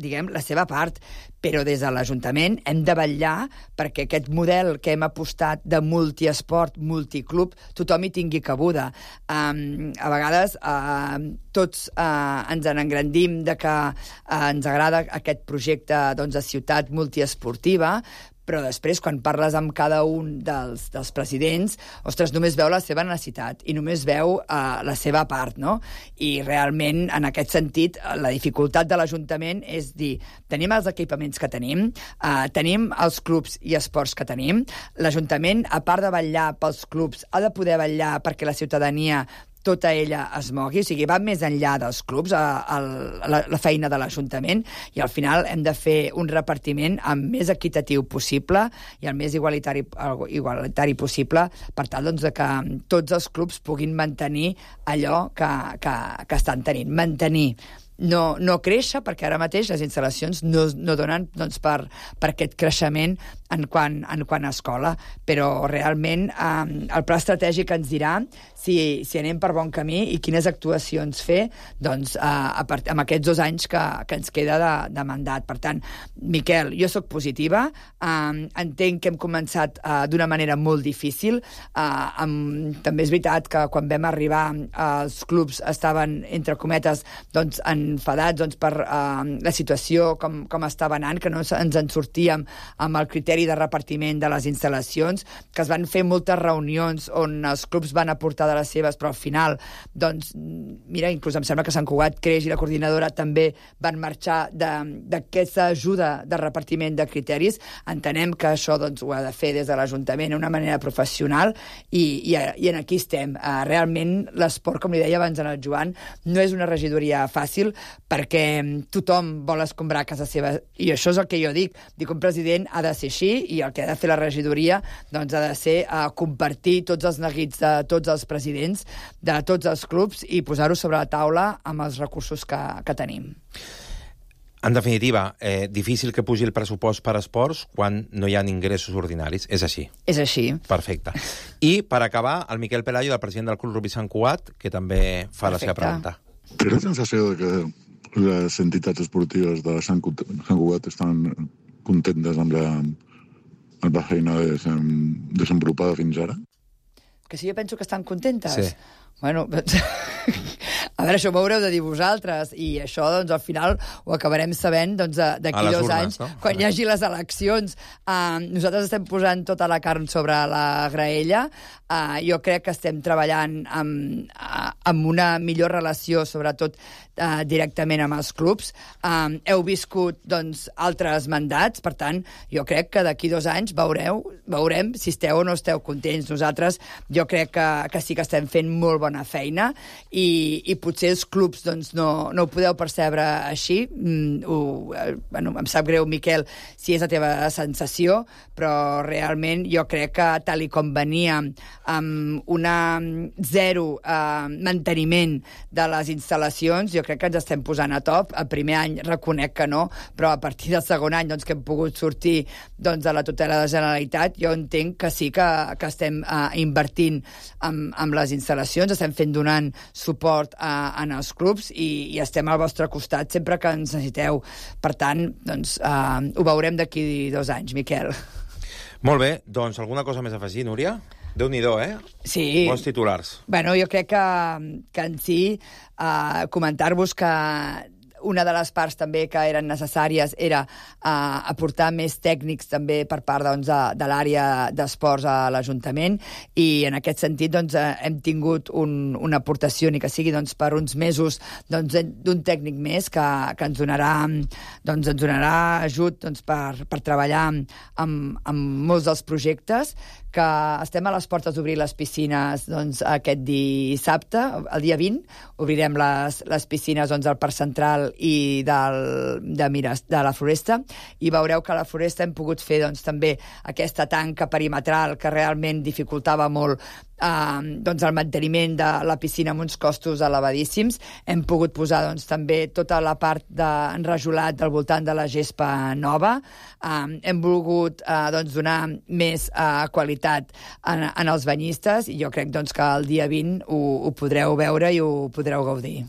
diguem, la seva part, però des de l'Ajuntament hem de vetllar perquè aquest model que hem apostat de multiesport, multiclub, tothom hi tingui cabuda. Um, a vegades uh, tots uh, ens en engrandim de que uh, ens agrada aquest projecte doncs, de ciutat multiesportiva, però després, quan parles amb cada un dels, dels presidents, ostres, només veu la seva necessitat i només veu uh, la seva part, no? I realment, en aquest sentit, la dificultat de l'Ajuntament és dir, tenim els equipaments que tenim, uh, tenim els clubs i esports que tenim, l'Ajuntament, a part de vetllar pels clubs, ha de poder vetllar perquè la ciutadania tota ella es mogui, o sigui, va més enllà dels clubs, a, a la, la feina de l'Ajuntament, i al final hem de fer un repartiment el més equitatiu possible i el més igualitari, igualitari possible, per tal doncs, de que tots els clubs puguin mantenir allò que, que, que estan tenint. Mantenir. No, no créixer, perquè ara mateix les instal·lacions no, no donen doncs, per, per aquest creixement en quant, en quant a escola, però realment eh, el pla estratègic ens dirà si, si anem per bon camí i quines actuacions fer doncs, eh, a part, amb aquests dos anys que, que ens queda de, de mandat. Per tant, Miquel, jo sóc positiva, eh, entenc que hem començat eh, d'una manera molt difícil, eh, amb, també és veritat que quan vam arribar eh, els clubs estaven, entre cometes, doncs, en enfadats doncs, per uh, la situació com, com estava anant, que no ens en sortíem amb el criteri de repartiment de les instal·lacions, que es van fer moltes reunions on els clubs van aportar de les seves, però al final, doncs, mira, inclús em sembla que Sant Cugat Creix i la coordinadora també van marxar d'aquesta ajuda de repartiment de criteris. Entenem que això doncs, ho ha de fer des de l'Ajuntament d'una manera professional i, i, i en aquí estem. Uh, realment l'esport, com li deia abans en el Joan, no és una regidoria fàcil, perquè tothom vol escombrar a casa seva, i això és el que jo dic. Dic, un president ha de ser així, i el que ha de fer la regidoria doncs, ha de ser uh, compartir tots els neguits de tots els presidents, de tots els clubs, i posar-ho sobre la taula amb els recursos que, que tenim. En definitiva, eh, difícil que pugi el pressupost per esports quan no hi ha ingressos ordinaris. És així. És així. Perfecte. I, per acabar, el Miquel Pelayo, el president del Club Rugby Sant Cugat, que també fa Perfecte. La seva pregunta. Té la sensació de que les entitats esportives de Sant Cugat estan contentes amb la, amb la feina desenvolupada fins ara? Que si jo penso que estan contentes? Sí. Bueno, a veure, això m'ho haureu de dir vosaltres, i això, doncs, al final ho acabarem sabent doncs, d'aquí dos urnes, anys, no? Quan hi hagi les eleccions. Uh, nosaltres estem posant tota la carn sobre la graella. Uh, jo crec que estem treballant amb, uh, amb una millor relació, sobretot uh, directament amb els clubs. Uh, heu viscut, doncs, altres mandats, per tant, jo crec que d'aquí dos anys veureu, veurem si esteu o no esteu contents. Nosaltres, jo crec que, que sí que estem fent molt bona feina, i, i potser els clubs doncs, no, no ho podeu percebre així. Mm, ho, eh, bueno, em sap greu, Miquel, si és la teva sensació, però realment jo crec que tal i com venia amb una zero eh, manteniment de les instal·lacions, jo crec que ens estem posant a top. El primer any reconec que no, però a partir del segon any doncs, que hem pogut sortir doncs, de la tutela de la Generalitat, jo entenc que sí que, que estem eh, invertint amb, amb les instal·lacions, estem fent donant suport a, en els clubs, i, i estem al vostre costat sempre que ens necessiteu. Per tant, doncs, eh, ho veurem d'aquí dos anys, Miquel. Molt bé, doncs alguna cosa més a afegir, Núria? Déu-n'hi-do, eh? Sí. Bons titulars. Bueno, jo crec que, que en si eh, comentar-vos que una de les parts també que eren necessàries era uh, aportar més tècnics també per part doncs, de, de l'àrea d'esports a l'Ajuntament, i en aquest sentit doncs, uh, hem tingut un, una aportació, ni que sigui doncs, per uns mesos doncs, d'un tècnic més que, que ens donarà, doncs, ens donarà ajut doncs, per, per treballar amb, amb molts dels projectes, que estem a les portes d'obrir les piscines doncs, aquest dissabte, el dia vint, obrirem les, les piscines doncs, al Parc Central i del, de, Mires, de la Floresta, i veureu que a la Floresta hem pogut fer doncs, també aquesta tanca perimetral que realment dificultava molt eh, doncs, el manteniment de la piscina amb uns costos elevadíssims. Hem pogut posar doncs, també tota la part d'enrajolat del voltant de la gespa nova. Eh, hem volgut eh, doncs, donar més eh, qualitat en, en els banyistes, i jo crec doncs, que el dia vint ho, ho podreu veure i ho podreu gaudir.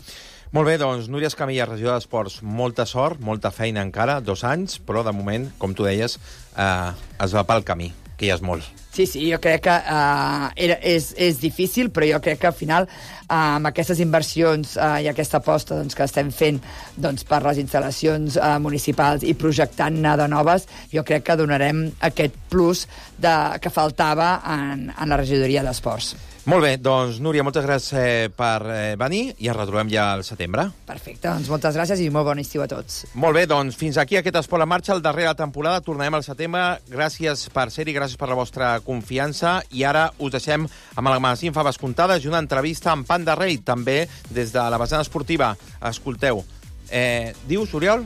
Molt bé, doncs, Núria Escamilla, regidora d'Esports, molta sort, molta feina encara, dos anys, però de moment, com tu deies, eh, es va pel camí, que ja és molt. Sí, sí, jo crec que uh, era, és, és difícil, però jo crec que al final uh, amb aquestes inversions uh, i aquesta aposta doncs, que estem fent doncs, per les instal·lacions uh, municipals i projectant-ne de noves, jo crec que donarem aquest plus de, que faltava en, en la regidoria d'Esports. Molt bé, doncs, Núria, moltes gràcies eh, per eh, venir, i ens retrobem ja al setembre. Perfecte, doncs moltes gràcies i molt bon estiu a tots. Molt bé, doncs fins aquí aquest Esport en Marxa, el darrer de la temporada. Tornarem al setembre. Gràcies per ser-hi, gràcies per la vostra confiança, i ara us deixem amb el magazín Faves Comptades i una entrevista amb Panda Rei, també des de la vessant esportiva. Escolteu, eh, dius, Oriol?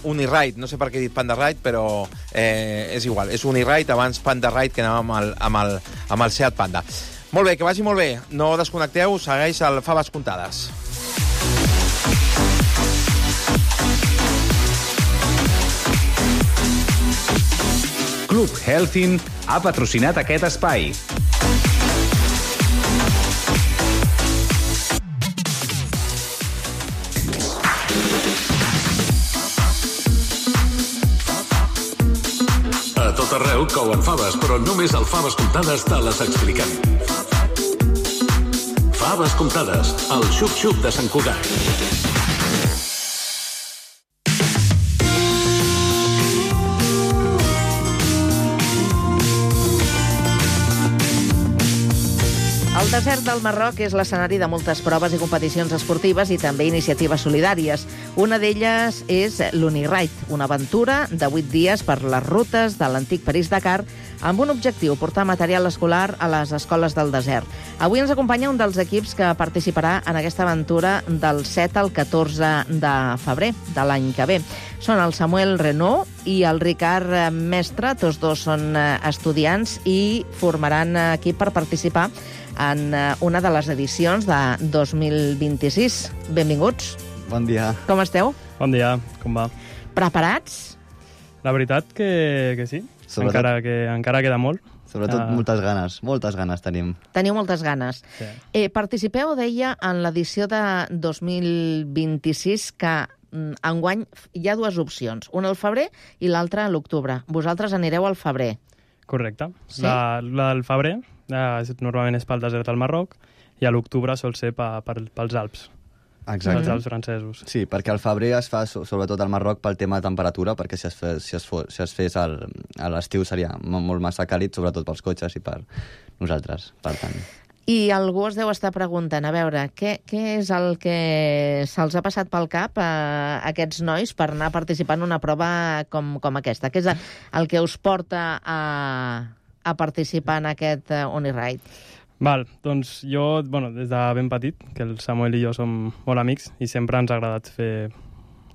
Uniride, no sé per què he dit Panda Ride, però eh, és igual, és Uniride, abans Panda Ride, que anàvem amb el, amb el, amb el Seat Panda. Molt bé, que vagi molt bé. No desconnecteu, segueix el Faves Comptades. Club Healthin ha patrocinat aquest espai. A tot arreu couen faves, però només al Faves Comptades te les expliquem. Faves Comptades, el xup-xup de Sant Cugat. El desert del Marroc és l'escenari de moltes proves i competicions esportives i també iniciatives solidàries. Una d'elles és l'Uniride, una aventura de vuit dies per les rutes de l'antic París-Dakar amb un objectiu, portar material escolar a les escoles del desert. Avui ens acompanya un dels equips que participarà en aquesta aventura del set al catorze de febrer de l'any que ve. Són el Samuel Renaud i el Ricard Mestre, tots dos són estudiants i formaran equip per participar en una de les edicions de dos mil vint-i-sis. Benvinguts. Bon dia. Com esteu? Bon dia, com va? Preparats? La veritat que, que sí, sobretot, encara, que, encara queda molt. Sobretot uh... moltes ganes, moltes ganes tenim. Teniu moltes ganes. Sí. Eh, participeu, deia, en l'edició de dos mil vint-i-sis, que enguany hi ha dues opcions, una al febrer i l'altra a l'octubre. Vosaltres anireu al febrer. Correcte. Sí? La, la del febrer, eh, normalment és pel desert al Marroc, i a l'octubre sol ser pa, per, pels Alps. Exacte. Els Alps francesos. Sí, perquè al febrer es fa so, sobretot al Marroc pel tema de temperatura, perquè si es fes, si es fos, si es fes al, a l'estiu seria molt massa càlid, sobretot pels cotxes i per nosaltres, per tant. I algú es deu estar preguntant, a veure, què, què és el que se'ls ha passat pel cap a aquests nois per anar a participar en una prova com, com aquesta? Què és el que us porta a, a participar en aquest uh, Uniride? Val, doncs jo, bueno, des de ben petit, que el Samuel i jo som molt amics i sempre ens ha agradat fer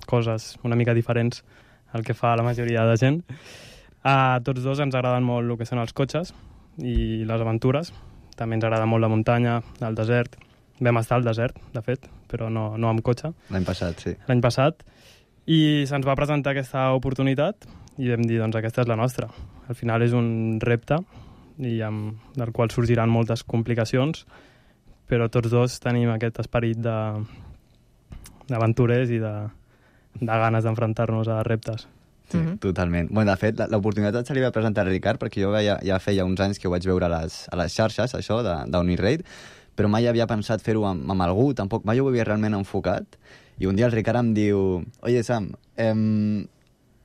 coses una mica diferents al que fa la majoria de gent. A tots dos ens agraden molt el que són els cotxes i les aventures. També ens agrada molt la muntanya, el desert. Vam estar al desert, de fet, però no, no amb cotxe. L'any passat, sí. L'any passat. I se'ns va presentar aquesta oportunitat i vam dir, doncs aquesta és la nostra. Al final és un repte i amb, del qual sorgiran moltes complicacions, però tots dos tenim aquest esperit de, d'aventurers i de, de ganes d'enfrontar-nos a reptes. Sí, mm-hmm. Totalment. Bueno, de fet, l'oportunitat se li va presentar a Ricard perquè jo ja, ja feia uns anys que ho vaig veure a les, a les xarxes, això, d'Uniride, però mai havia pensat fer-ho amb, amb algú, tampoc mai ho havia realment enfocat, i un dia el Ricard em diu, oye, Sam, em...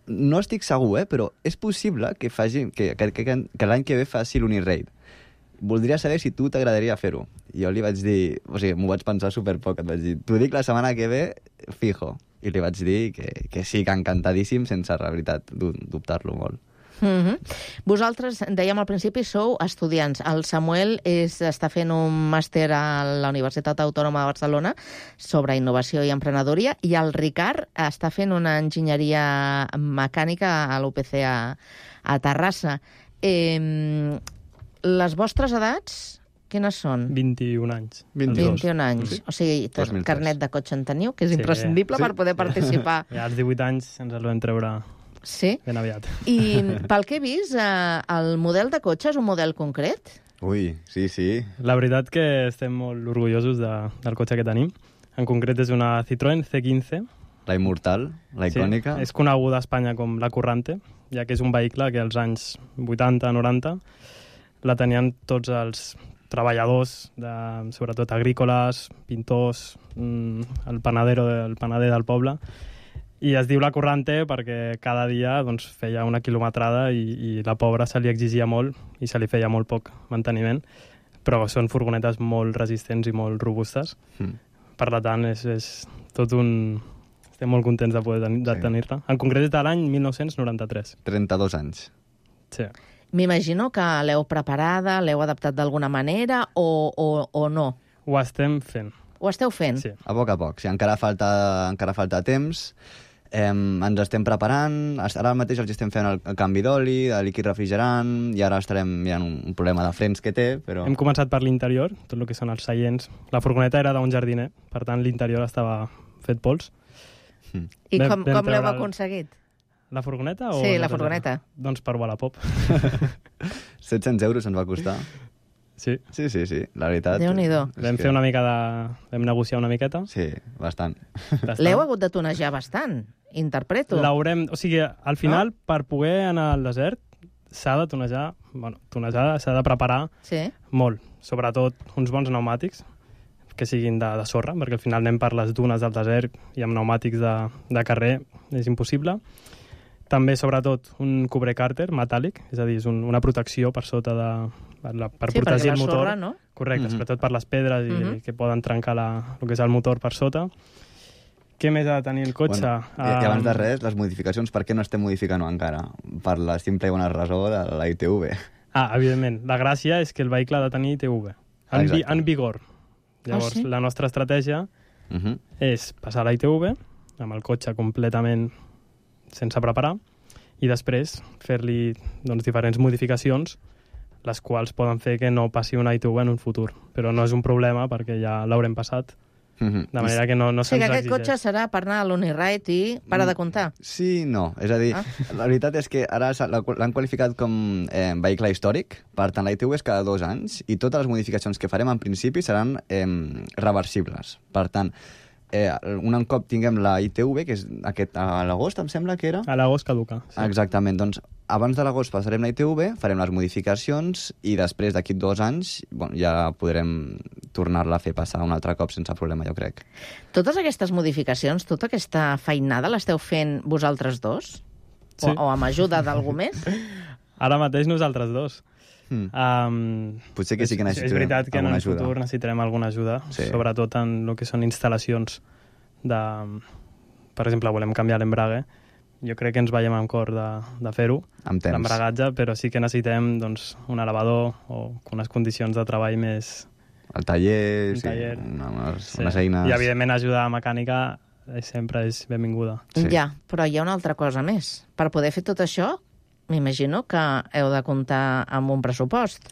no estic segur, eh, però és possible que, faci, que, que, que, que l'any que ve faci l'Uniride. Voldria saber si tu t'agradaria fer-ho. I jo li vaig dir, o sigui, m'ho vaig pensar superpoc, et vaig dir, t'ho dic la setmana que ve, fijo. I li vaig dir que, que sí, que encantadíssim, sense, la veritat, dubtar-lo molt. Mm-hmm. Vosaltres, dèiem al principi, sou estudiants. El Samuel és, està fent un màster a la Universitat Autònoma de Barcelona sobre innovació i emprenedoria, i el Ricard està fent una enginyeria mecànica a l'U P C a, a Terrassa. Eh, les vostres edats, quines són? vint-i-un anys. vint-i-un anys. Sí. O sigui, carnet de cotxe en teniu, que és sí, imprescindible sí. per poder participar. Ja als divuit anys ens el vam treure sí? ben aviat. I pel que he vist, eh, el model de cotxe és un model concret? Ui, sí, sí. La veritat que estem molt orgullosos de, del cotxe que tenim. En concret és una Citroën C quinze. La immortal, la icònica. Sí, és coneguda a Espanya com la Currante, ja que és un vehicle que als anys vuitanta noranta la tenien tots els treballadors, de, sobretot agrícoles, pintors, el panadero, el panader del poble. I es diu la Currante perquè cada dia doncs, feia una quilometrada i, i la pobra se li exigia molt i se li feia molt poc manteniment, però són furgonetes molt resistents i molt robustes. Mm. Per tant, és, és tot un... Estem molt contents de poder ten de sí. tenir-la. En concret és de l'any mil nou-cents noranta-tres. trenta-dos anys. Sí. M'imagino que l'heu preparada, l'heu adaptat d'alguna manera o, o, o no? Ho estem fent. Ho esteu fent? Sí. A poc a poc. Sí, encara falta, encara falta temps. Eh, ens estem preparant. Ara mateix els estem fent el, el canvi d'oli, de líquid refrigerant, i ara estarem mirant un, un problema de frens que té, però... Hem començat per l'interior, tot el que són els seients. La furgoneta era d'un jardiner, per tant l'interior estava fet pols. Mm. I com, com l'heu aconseguit? La furgoneta? O sí, la furgoneta. Doncs per Wallapop. set-cents euros ens va costar. Sí. Sí, sí, sí, la veritat. Déu-n'hi-do. Vam fer una mica de... Vam negociar una miqueta. Sí, bastant. L'heu hagut de tonejar bastant, interpreto. L'haurem... O sigui, al final, no? Per poder anar al desert, s'ha de tonejar... Bueno, tonejar, s'ha de preparar sí. molt. Sobretot uns bons pneumàtics, que siguin de, de sorra, perquè al final anem per les dunes del desert i amb pneumàtics de, de carrer és impossible. També, sobretot, un cubrecàrter metàl·lic, és a dir, és un, una protecció per sota de... per, la, per sí, protegir el motor. Sorra, no? Correcte, mm-hmm. sobretot per les pedres i mm-hmm. que poden trencar la, el que és el motor per sota. Què més ha de tenir el cotxe? Bueno, i, I abans de res, les modificacions, per què no estem modificant-ho encara? Per la simple i bona raó de la I T V. Ah, evidentment. La gràcia és que el vehicle ha de tenir I T V. En, vi, en vigor. Llavors, ah, sí? La nostra estratègia uh-huh. és passar la I T V amb el cotxe completament sense preparar i després fer-li doncs, diferents modificacions les quals poden fer que no passi una I T V en un futur. Però no és un problema perquè ja l'haurem passat. Uh-huh. De manera que no, no se'ns exigeix. O sigui, aquest cotxe serà per anar a l'Uniride i para de comptar. Sí, no. És a dir, ah. la veritat és que ara l'han qualificat com eh, vehicle històric. Per tant, la I T V és cada dos anys i totes les modificacions que farem en principi seran eh, reversibles. Per tant, eh, un cop tinguem la I T V, que és aquest, a l'agost, em sembla que era? A l'agost caduca. Sí. Exactament, doncs abans de l'agost passarem la I T V, farem les modificacions i després d'aquí dos anys bueno, ja podrem tornar-la a fer passar un altre cop sense problema, jo crec. Totes aquestes modificacions, tota aquesta feinada l'esteu fent vosaltres dos? Sí. O, o amb ajuda d'algú més? Ara mateix nosaltres dos. Mm. Um, Potser que sí que necessitem és veritat que en el ajuda. futur necessitarem alguna ajuda, sí. Sobretot en el que són instal·lacions de... Per exemple, volem canviar l'embrague. Jo crec que ens veiem amb cor de, de fer-ho, l'embragatge, però sí que necessitem doncs, un elevador o unes condicions de treball més... El taller, un sí, taller. Una, unes, sí. unes eines... I, evidentment, ajuda mecànica sempre és benvinguda. Sí. Ja, però hi ha una altra cosa més. Per poder fer tot això, m'imagino que heu de comptar amb un pressupost.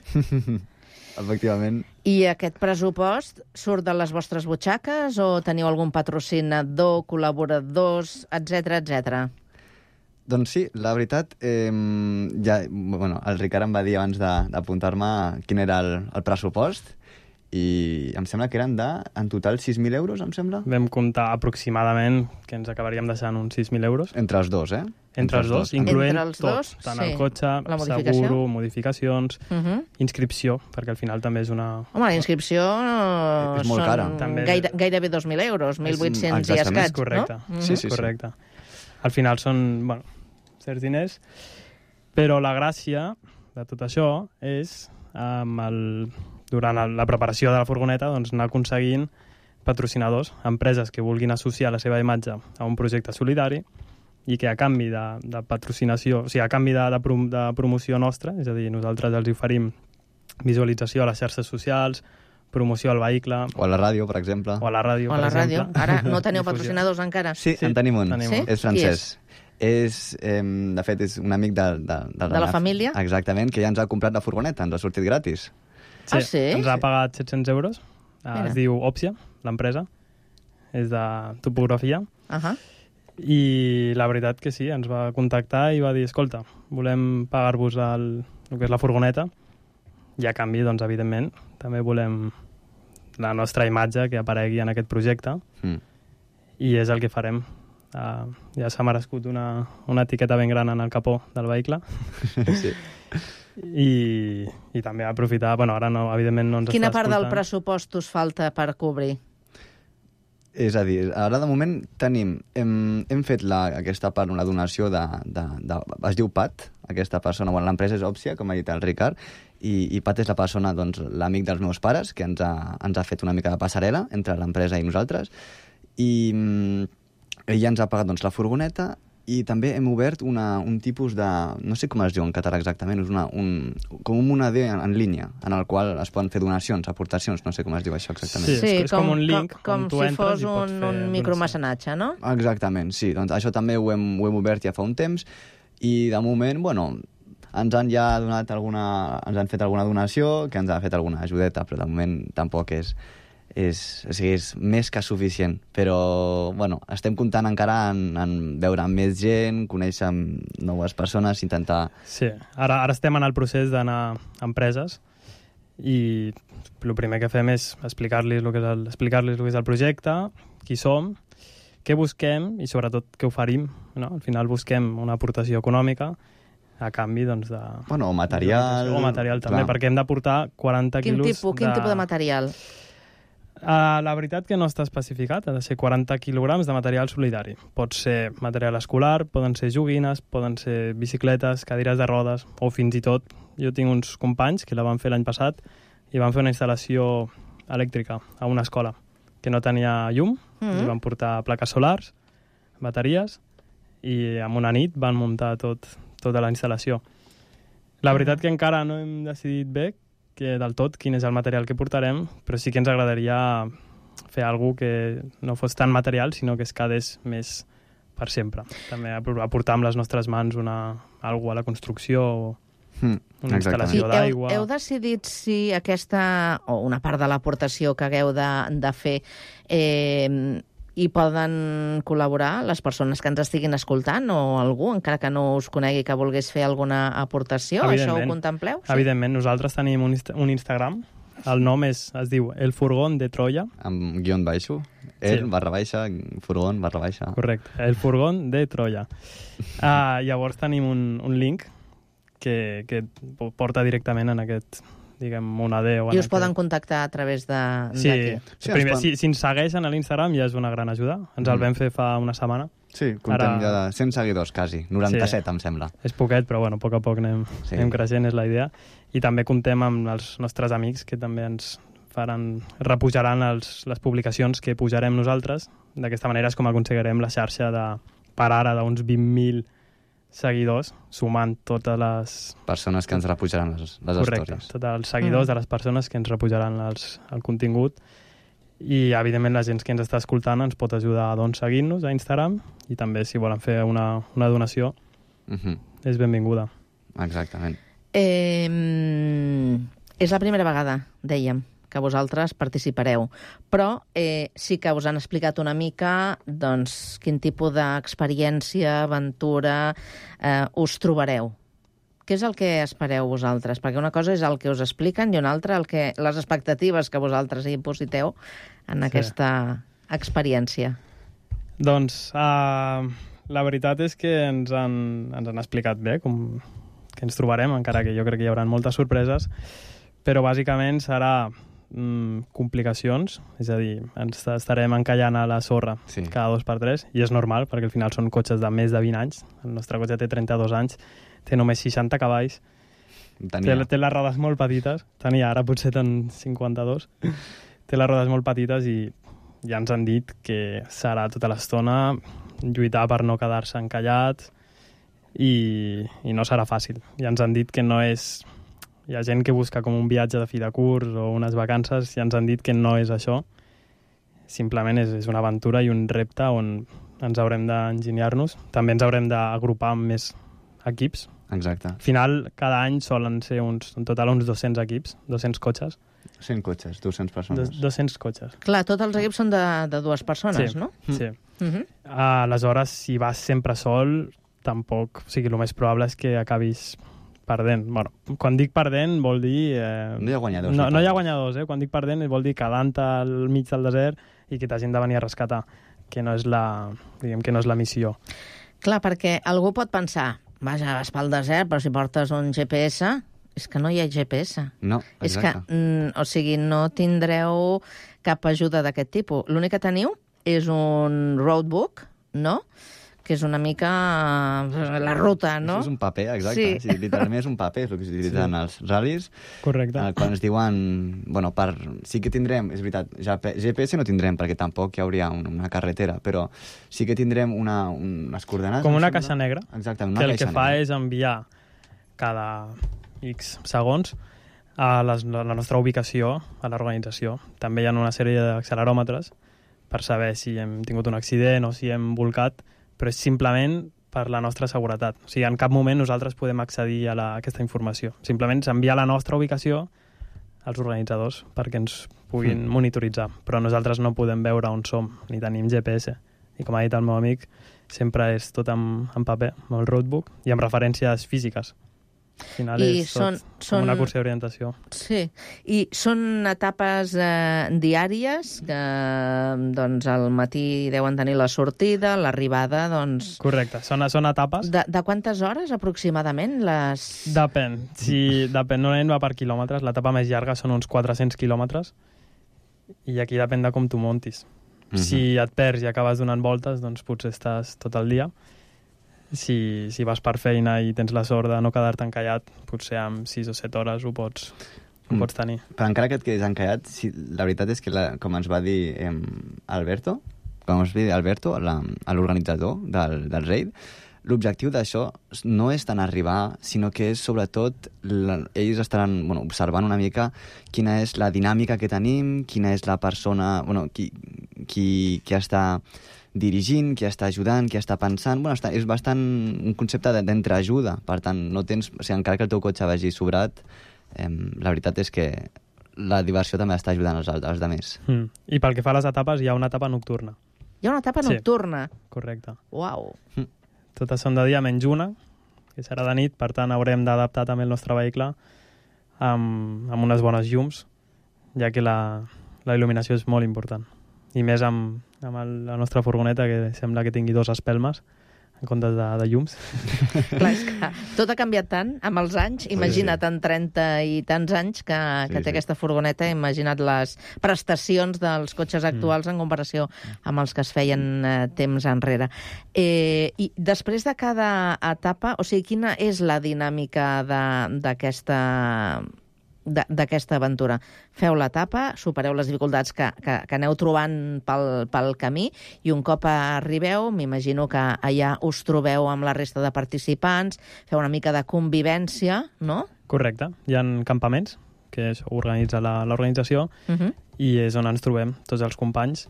Efectivament. I aquest pressupost surt de les vostres butxaques o teniu algun patrocinador, col·laboradors, etcètera, etcètera? Doncs sí, la veritat, eh, ja, bueno, el Ricard em va dir abans d'apuntar-me quin era el, el pressupost i em sembla que eren de, en total, sis mil euros, em sembla? Vam comptar aproximadament que ens acabaríem deixant uns sis mil euros. Entre els dos, eh? Entre, Entre els dos, dos incloent Entre els tot, dos, tant sí. el cotxe, modificació. seguro, modificacions, uh -huh. inscripció, perquè al final també és una... Home, la inscripció és, és molt cara. També... Gaire, gairebé dos mil euros, mil vuit-cents i escaig, és correcte. No? Sí, sí, correcte. Al final són, bueno, certs diners, però la gràcia de tot això és amb el... durant la preparació de la furgoneta, doncs, anar aconseguint patrocinadors, empreses que vulguin associar la seva imatge a un projecte solidari i que a canvi de, de patrocinació, o sigui, a canvi de, de, prom de promoció nostra, és a dir, nosaltres els oferim visualització a les xarxes socials, promoció al vehicle... O a la ràdio, per exemple. O a la ràdio, o a per la exemple. Ràdio. Ara no teniu patrocinadors encara? Sí, sí, en tenim un. Tenim sí? És francès. És, eh, de fet, és un amic de... De, de, de la família? Exactament, que ja ens ha comprat la furgoneta, ens ha sortit gratis. Sí, ah, sí? Ens ha pagat set-cents euros. Mira. Es diu Opsia, l'empresa. És de topografia. Uh -huh. I la veritat que sí, ens va contactar i va dir, escolta, volem pagar-vos el, el que és la furgoneta i a canvi, doncs, evidentment, també volem la nostra imatge que aparegui en aquest projecte mm. i és el que farem. Uh, ja s'ha merescut una, una etiqueta ben gran en el capó del vehicle. Sí. I, i també aprofitar, bueno, ara no, evidentment no ens Quina està part escoltant. del pressupost us falta per cobrir? És a dir, ara de moment tenim, hem, hem fet la, aquesta part, una donació de, de, de, es diu Pat, aquesta persona, bueno, l'empresa és Opsia, com ha dit el Ricard, i, i Pat és la persona, doncs, l'amic dels meus pares, que ens ha, ens ha fet una mica de passarel·la entre l'empresa i nosaltres, i mm, ella ens ha pagat, doncs, la furgoneta, i també hem obert una, un tipus de... no sé com es diu en català exactament, és una, un, com un moneder en, en línia, en el qual es poden fer donacions, aportacions, no sé com es diu això exactament. Sí, sí és, és com, com un link, com, com si fos un, un micromecenatge, no? Exactament, sí. Doncs això també ho hem, ho hem obert ja fa un temps, i de moment, bueno, ens han ja donat alguna... ens han fet alguna donació, que ens ha fet alguna ajudeta, però de moment tampoc és... És, o sigui, és més que suficient, però bueno, estem comptant encara en, en veure més gent, conèixer noves persones, intentar... Sí, ara, ara estem en el procés d'anar a empreses i el primer que fem és explicar-los el, que és el, explicar-los el que és el projecte, qui som, què busquem i sobretot què oferim. No? Al final busquem una aportació econòmica a canvi, doncs, de... Bueno, o material... O material també, clar. Perquè hem d'aportar quaranta quin quilos tipus, de... Quin tipus de material? Uh, la veritat que no està especificat, ha de ser quaranta quilograms de material solidari. Pot ser material escolar, poden ser joguines, poden ser bicicletes, cadires de rodes, o fins i tot, jo tinc uns companys que la van fer l'any passat i van fer una instal·lació elèctrica a una escola que no tenia llum, mm-hmm. i van portar plaques solars, bateries, i en una nit van muntar tot, tota la instal·lació. La veritat que encara no hem decidit bé que del tot quin és el material que portarem, però sí que ens agradaria fer alguna que no fos tan material, sinó que es quedés més per sempre. També aportar amb les nostres mans una, alguna a la construcció o mm, una instal·lació d'aigua. Heu, heu decidit si aquesta, o una part de l'aportació que hagueu de, de fer, eh, hi poden col·laborar les persones que ens estiguin escoltant o algú, encara que no us conegui, que volgués fer alguna aportació? Això ho contempleu? Sí? Evidentment. Nosaltres tenim un, insta un Instagram El nom és, es diu El Furgón de Troya. Amb guion baixo. El, Sí. barra baixa, furgón, barra baixa. Correcte, El Furgón de Troya. Uh, llavors tenim un, un link que, que porta directament en aquest, diguem, moneder. I us poden contactar a través de, Sí, d'aquí. sí primer, si, si ens segueixen a l'Instagram ja és una gran ajuda. Ens el Mm. vam fer fa una setmana. Sí, comptem ja de cent seguidors, quasi. noranta-set, Sí. em sembla. És poquet, però bueno, a poc a poc anem, Sí. anem creixent, és la idea. I també comptem amb els nostres amics que també ens faran, repujaran els, les publicacions que pujarem nosaltres. D'aquesta manera és com aconseguirem la xarxa de, per ara d'uns vint mil seguidors, sumant totes les... Persones que ens repujaran les, les Correcte, stories. tots els seguidors mm. de les persones que ens repujaran els, el contingut. I, evidentment, la gent que ens està escoltant ens pot ajudar a doncs, seguir-nos a Instagram i també, si volen fer una, una donació, Mhm. és benvinguda. Exactament. Eh, és la primera vegada, dèiem, que vosaltres participareu, però eh, sí que us han explicat una mica doncs, quin tipus d'experiència, aventura eh, us trobareu. Què és el que espereu vosaltres? Perquè una cosa és el que us expliquen i una altra el que, les expectatives que vosaltres hi impositeu en Sí. aquesta experiència. Doncs uh, la veritat és que ens han, ens han explicat bé com que ens trobarem, encara que jo crec que hi haurà moltes sorpreses, però bàsicament serà mm, complicacions, és a dir, ens estarem encallant a la sorra Sí. cada dos per tres, i és normal, perquè al final són cotxes de més de vint anys. El nostre cotxe té trenta-dos anys, té només seixanta cavalls, Tenia. té, té les rodes molt petites, tenia, ara potser ten cinquanta-dos, té les rodes molt petites i ja ens han dit que serà tota l'estona lluitar per no quedar-se encallat i, i no serà fàcil. Ja ens han dit que no és... Hi ha gent que busca com un viatge de fi de curs o unes vacances, ja ens han dit que no és això. Simplement és, és una aventura i un repte on ens haurem d'enginyar-nos. També ens haurem d'agrupar amb més equips. Exacte. Al final, cada any solen ser uns, en total uns dos-cents equips, dos-cents cotxes. cent cotxes, dues-centes persones. Dos, dos-cents cotxes. Clar, tots els equips són de, de dues persones, Sí, no? sí. Uh -huh. Aleshores, si vas sempre sol, tampoc... O sigui, el més probable és que acabis perdent. Bueno, quan dic perdent vol dir... Eh, No hi ha guanyadors. no, no hi ha guanyadors, eh? Quan dic perdent vol dir quedant al mig del desert i que t'hagin de venir a rescatar, que no és la, diguem que no és la missió. Clar, perquè algú pot pensar, vaja, vas pel desert, però si portes un G P S, és que no hi ha G P S. No, És exacte. que, mm, o sigui, no tindreu cap ajuda d'aquest tipus. L'únic que teniu és un roadbook, no?, que és una mica eh, la ruta, no? Això és un paper, exacte. Sí. Sí. Literalment és un paper, és el que s'utilitza en els ral·lis. Correcte. Eh, quan ens diuen... Bueno, per, sí que tindrem, és veritat, G P S no tindrem, perquè tampoc hi hauria un, una carretera, però sí que tindrem una, unes coordenades... Com una em sembla. caixa negra, Exacte, una que el caixa que fa negra. és enviar cada X segons a les, a la nostra ubicació a l'organització. També hi ha una sèrie d'acceleròmetres per saber si hem tingut un accident o si hem volcat, però és simplement per la nostra seguretat. O sigui, en cap moment nosaltres podem accedir a, la, a aquesta informació. Simplement s'envia la nostra ubicació als organitzadors perquè ens puguin Mm. monitoritzar. Però nosaltres no podem veure on som, ni tenim G P S. I com ha dit el meu amic, sempre és tot en, en paper, amb el roadbook, i amb referències físiques. Al final I és són- tot són- com una cursa d'orientació. Sí, i són etapes eh, diàries que doncs al matí deuen tenir la sortida, l'arribada, doncs... Correcte, són, són etapes. De, de quantes hores aproximadament les... Depèn. Si, depèn, normalment va per quilòmetres. L'etapa més llarga són uns quatre-cents quilòmetres i aquí depèn de com tu montis. Mhm. Si et perds i acabes donant voltes, doncs potser estàs tot el dia. Si, si vas per feina i tens la sort de no quedar-te encallat, potser amb sis o set hores ho pots, ho Mm. pots tenir. Però encara que et quedis encallat, si, la veritat és que, la, com ens va dir eh, Alberto, com ens va dir Alberto, la- l'organitzador del, del raid, l'objectiu d'això no és tant arribar, sinó que és sobretot, la, ells estaran bueno, observant una mica quina és la dinàmica que tenim, quina és la persona, bueno, qui, qui, qui està dirigint, qui està ajudant, qui està pensant... Bueno, està, és bastant un concepte de- d'entreajuda, per tant, no tens, o sigui, encara que el teu cotxe vagi sobrat, eh, la veritat és que la diversió també està ajudant els, als altres. Mm. I pel que fa a les etapes, hi ha una etapa nocturna. Hi ha una etapa Sí. nocturna. Correcte. Uau. Totes són de dia menys una, que serà de nit, per tant haurem d'adaptar també el nostre vehicle amb, amb unes bones llums ja que la, la il·luminació és molt important. I més amb, amb el, la nostra furgoneta, que sembla que tingui dos espelmes, en comptes de, de llums. Clar, és que tot ha canviat tant amb els anys. Imagina't, sí, sí. en trenta i tants anys que, que sí, té sí. aquesta furgoneta, imagina't les prestacions dels cotxes actuals mm. en comparació amb els que es feien eh, temps enrere. Eh, I després de cada etapa, o sigui, quina és la dinàmica d'aquesta d'aquesta aventura? Feu l'etapa, supereu les dificultats que, que, que aneu trobant pel, pel camí i un cop arribeu, m'imagino que allà us trobeu amb la resta de participants, feu una mica de convivència, no? Correcte. Hi ha campaments que organitza l'organització uh -huh. i és on ens trobem tots els companys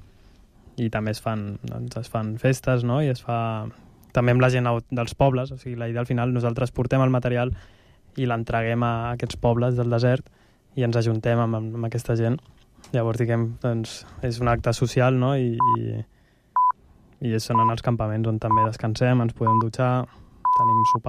i també es fan, doncs, es fan festes, no? I es fa també amb la gent dels pobles, o sigui, la idea al final, nosaltres portem el material i l'entreguem a aquests pobles del desert i ens ajuntem amb, amb aquesta gent. Llavors, diguem, doncs, és un acte social, no? I, i, i són en els campaments on també descansem, ens podem dutxar, tenim sopar.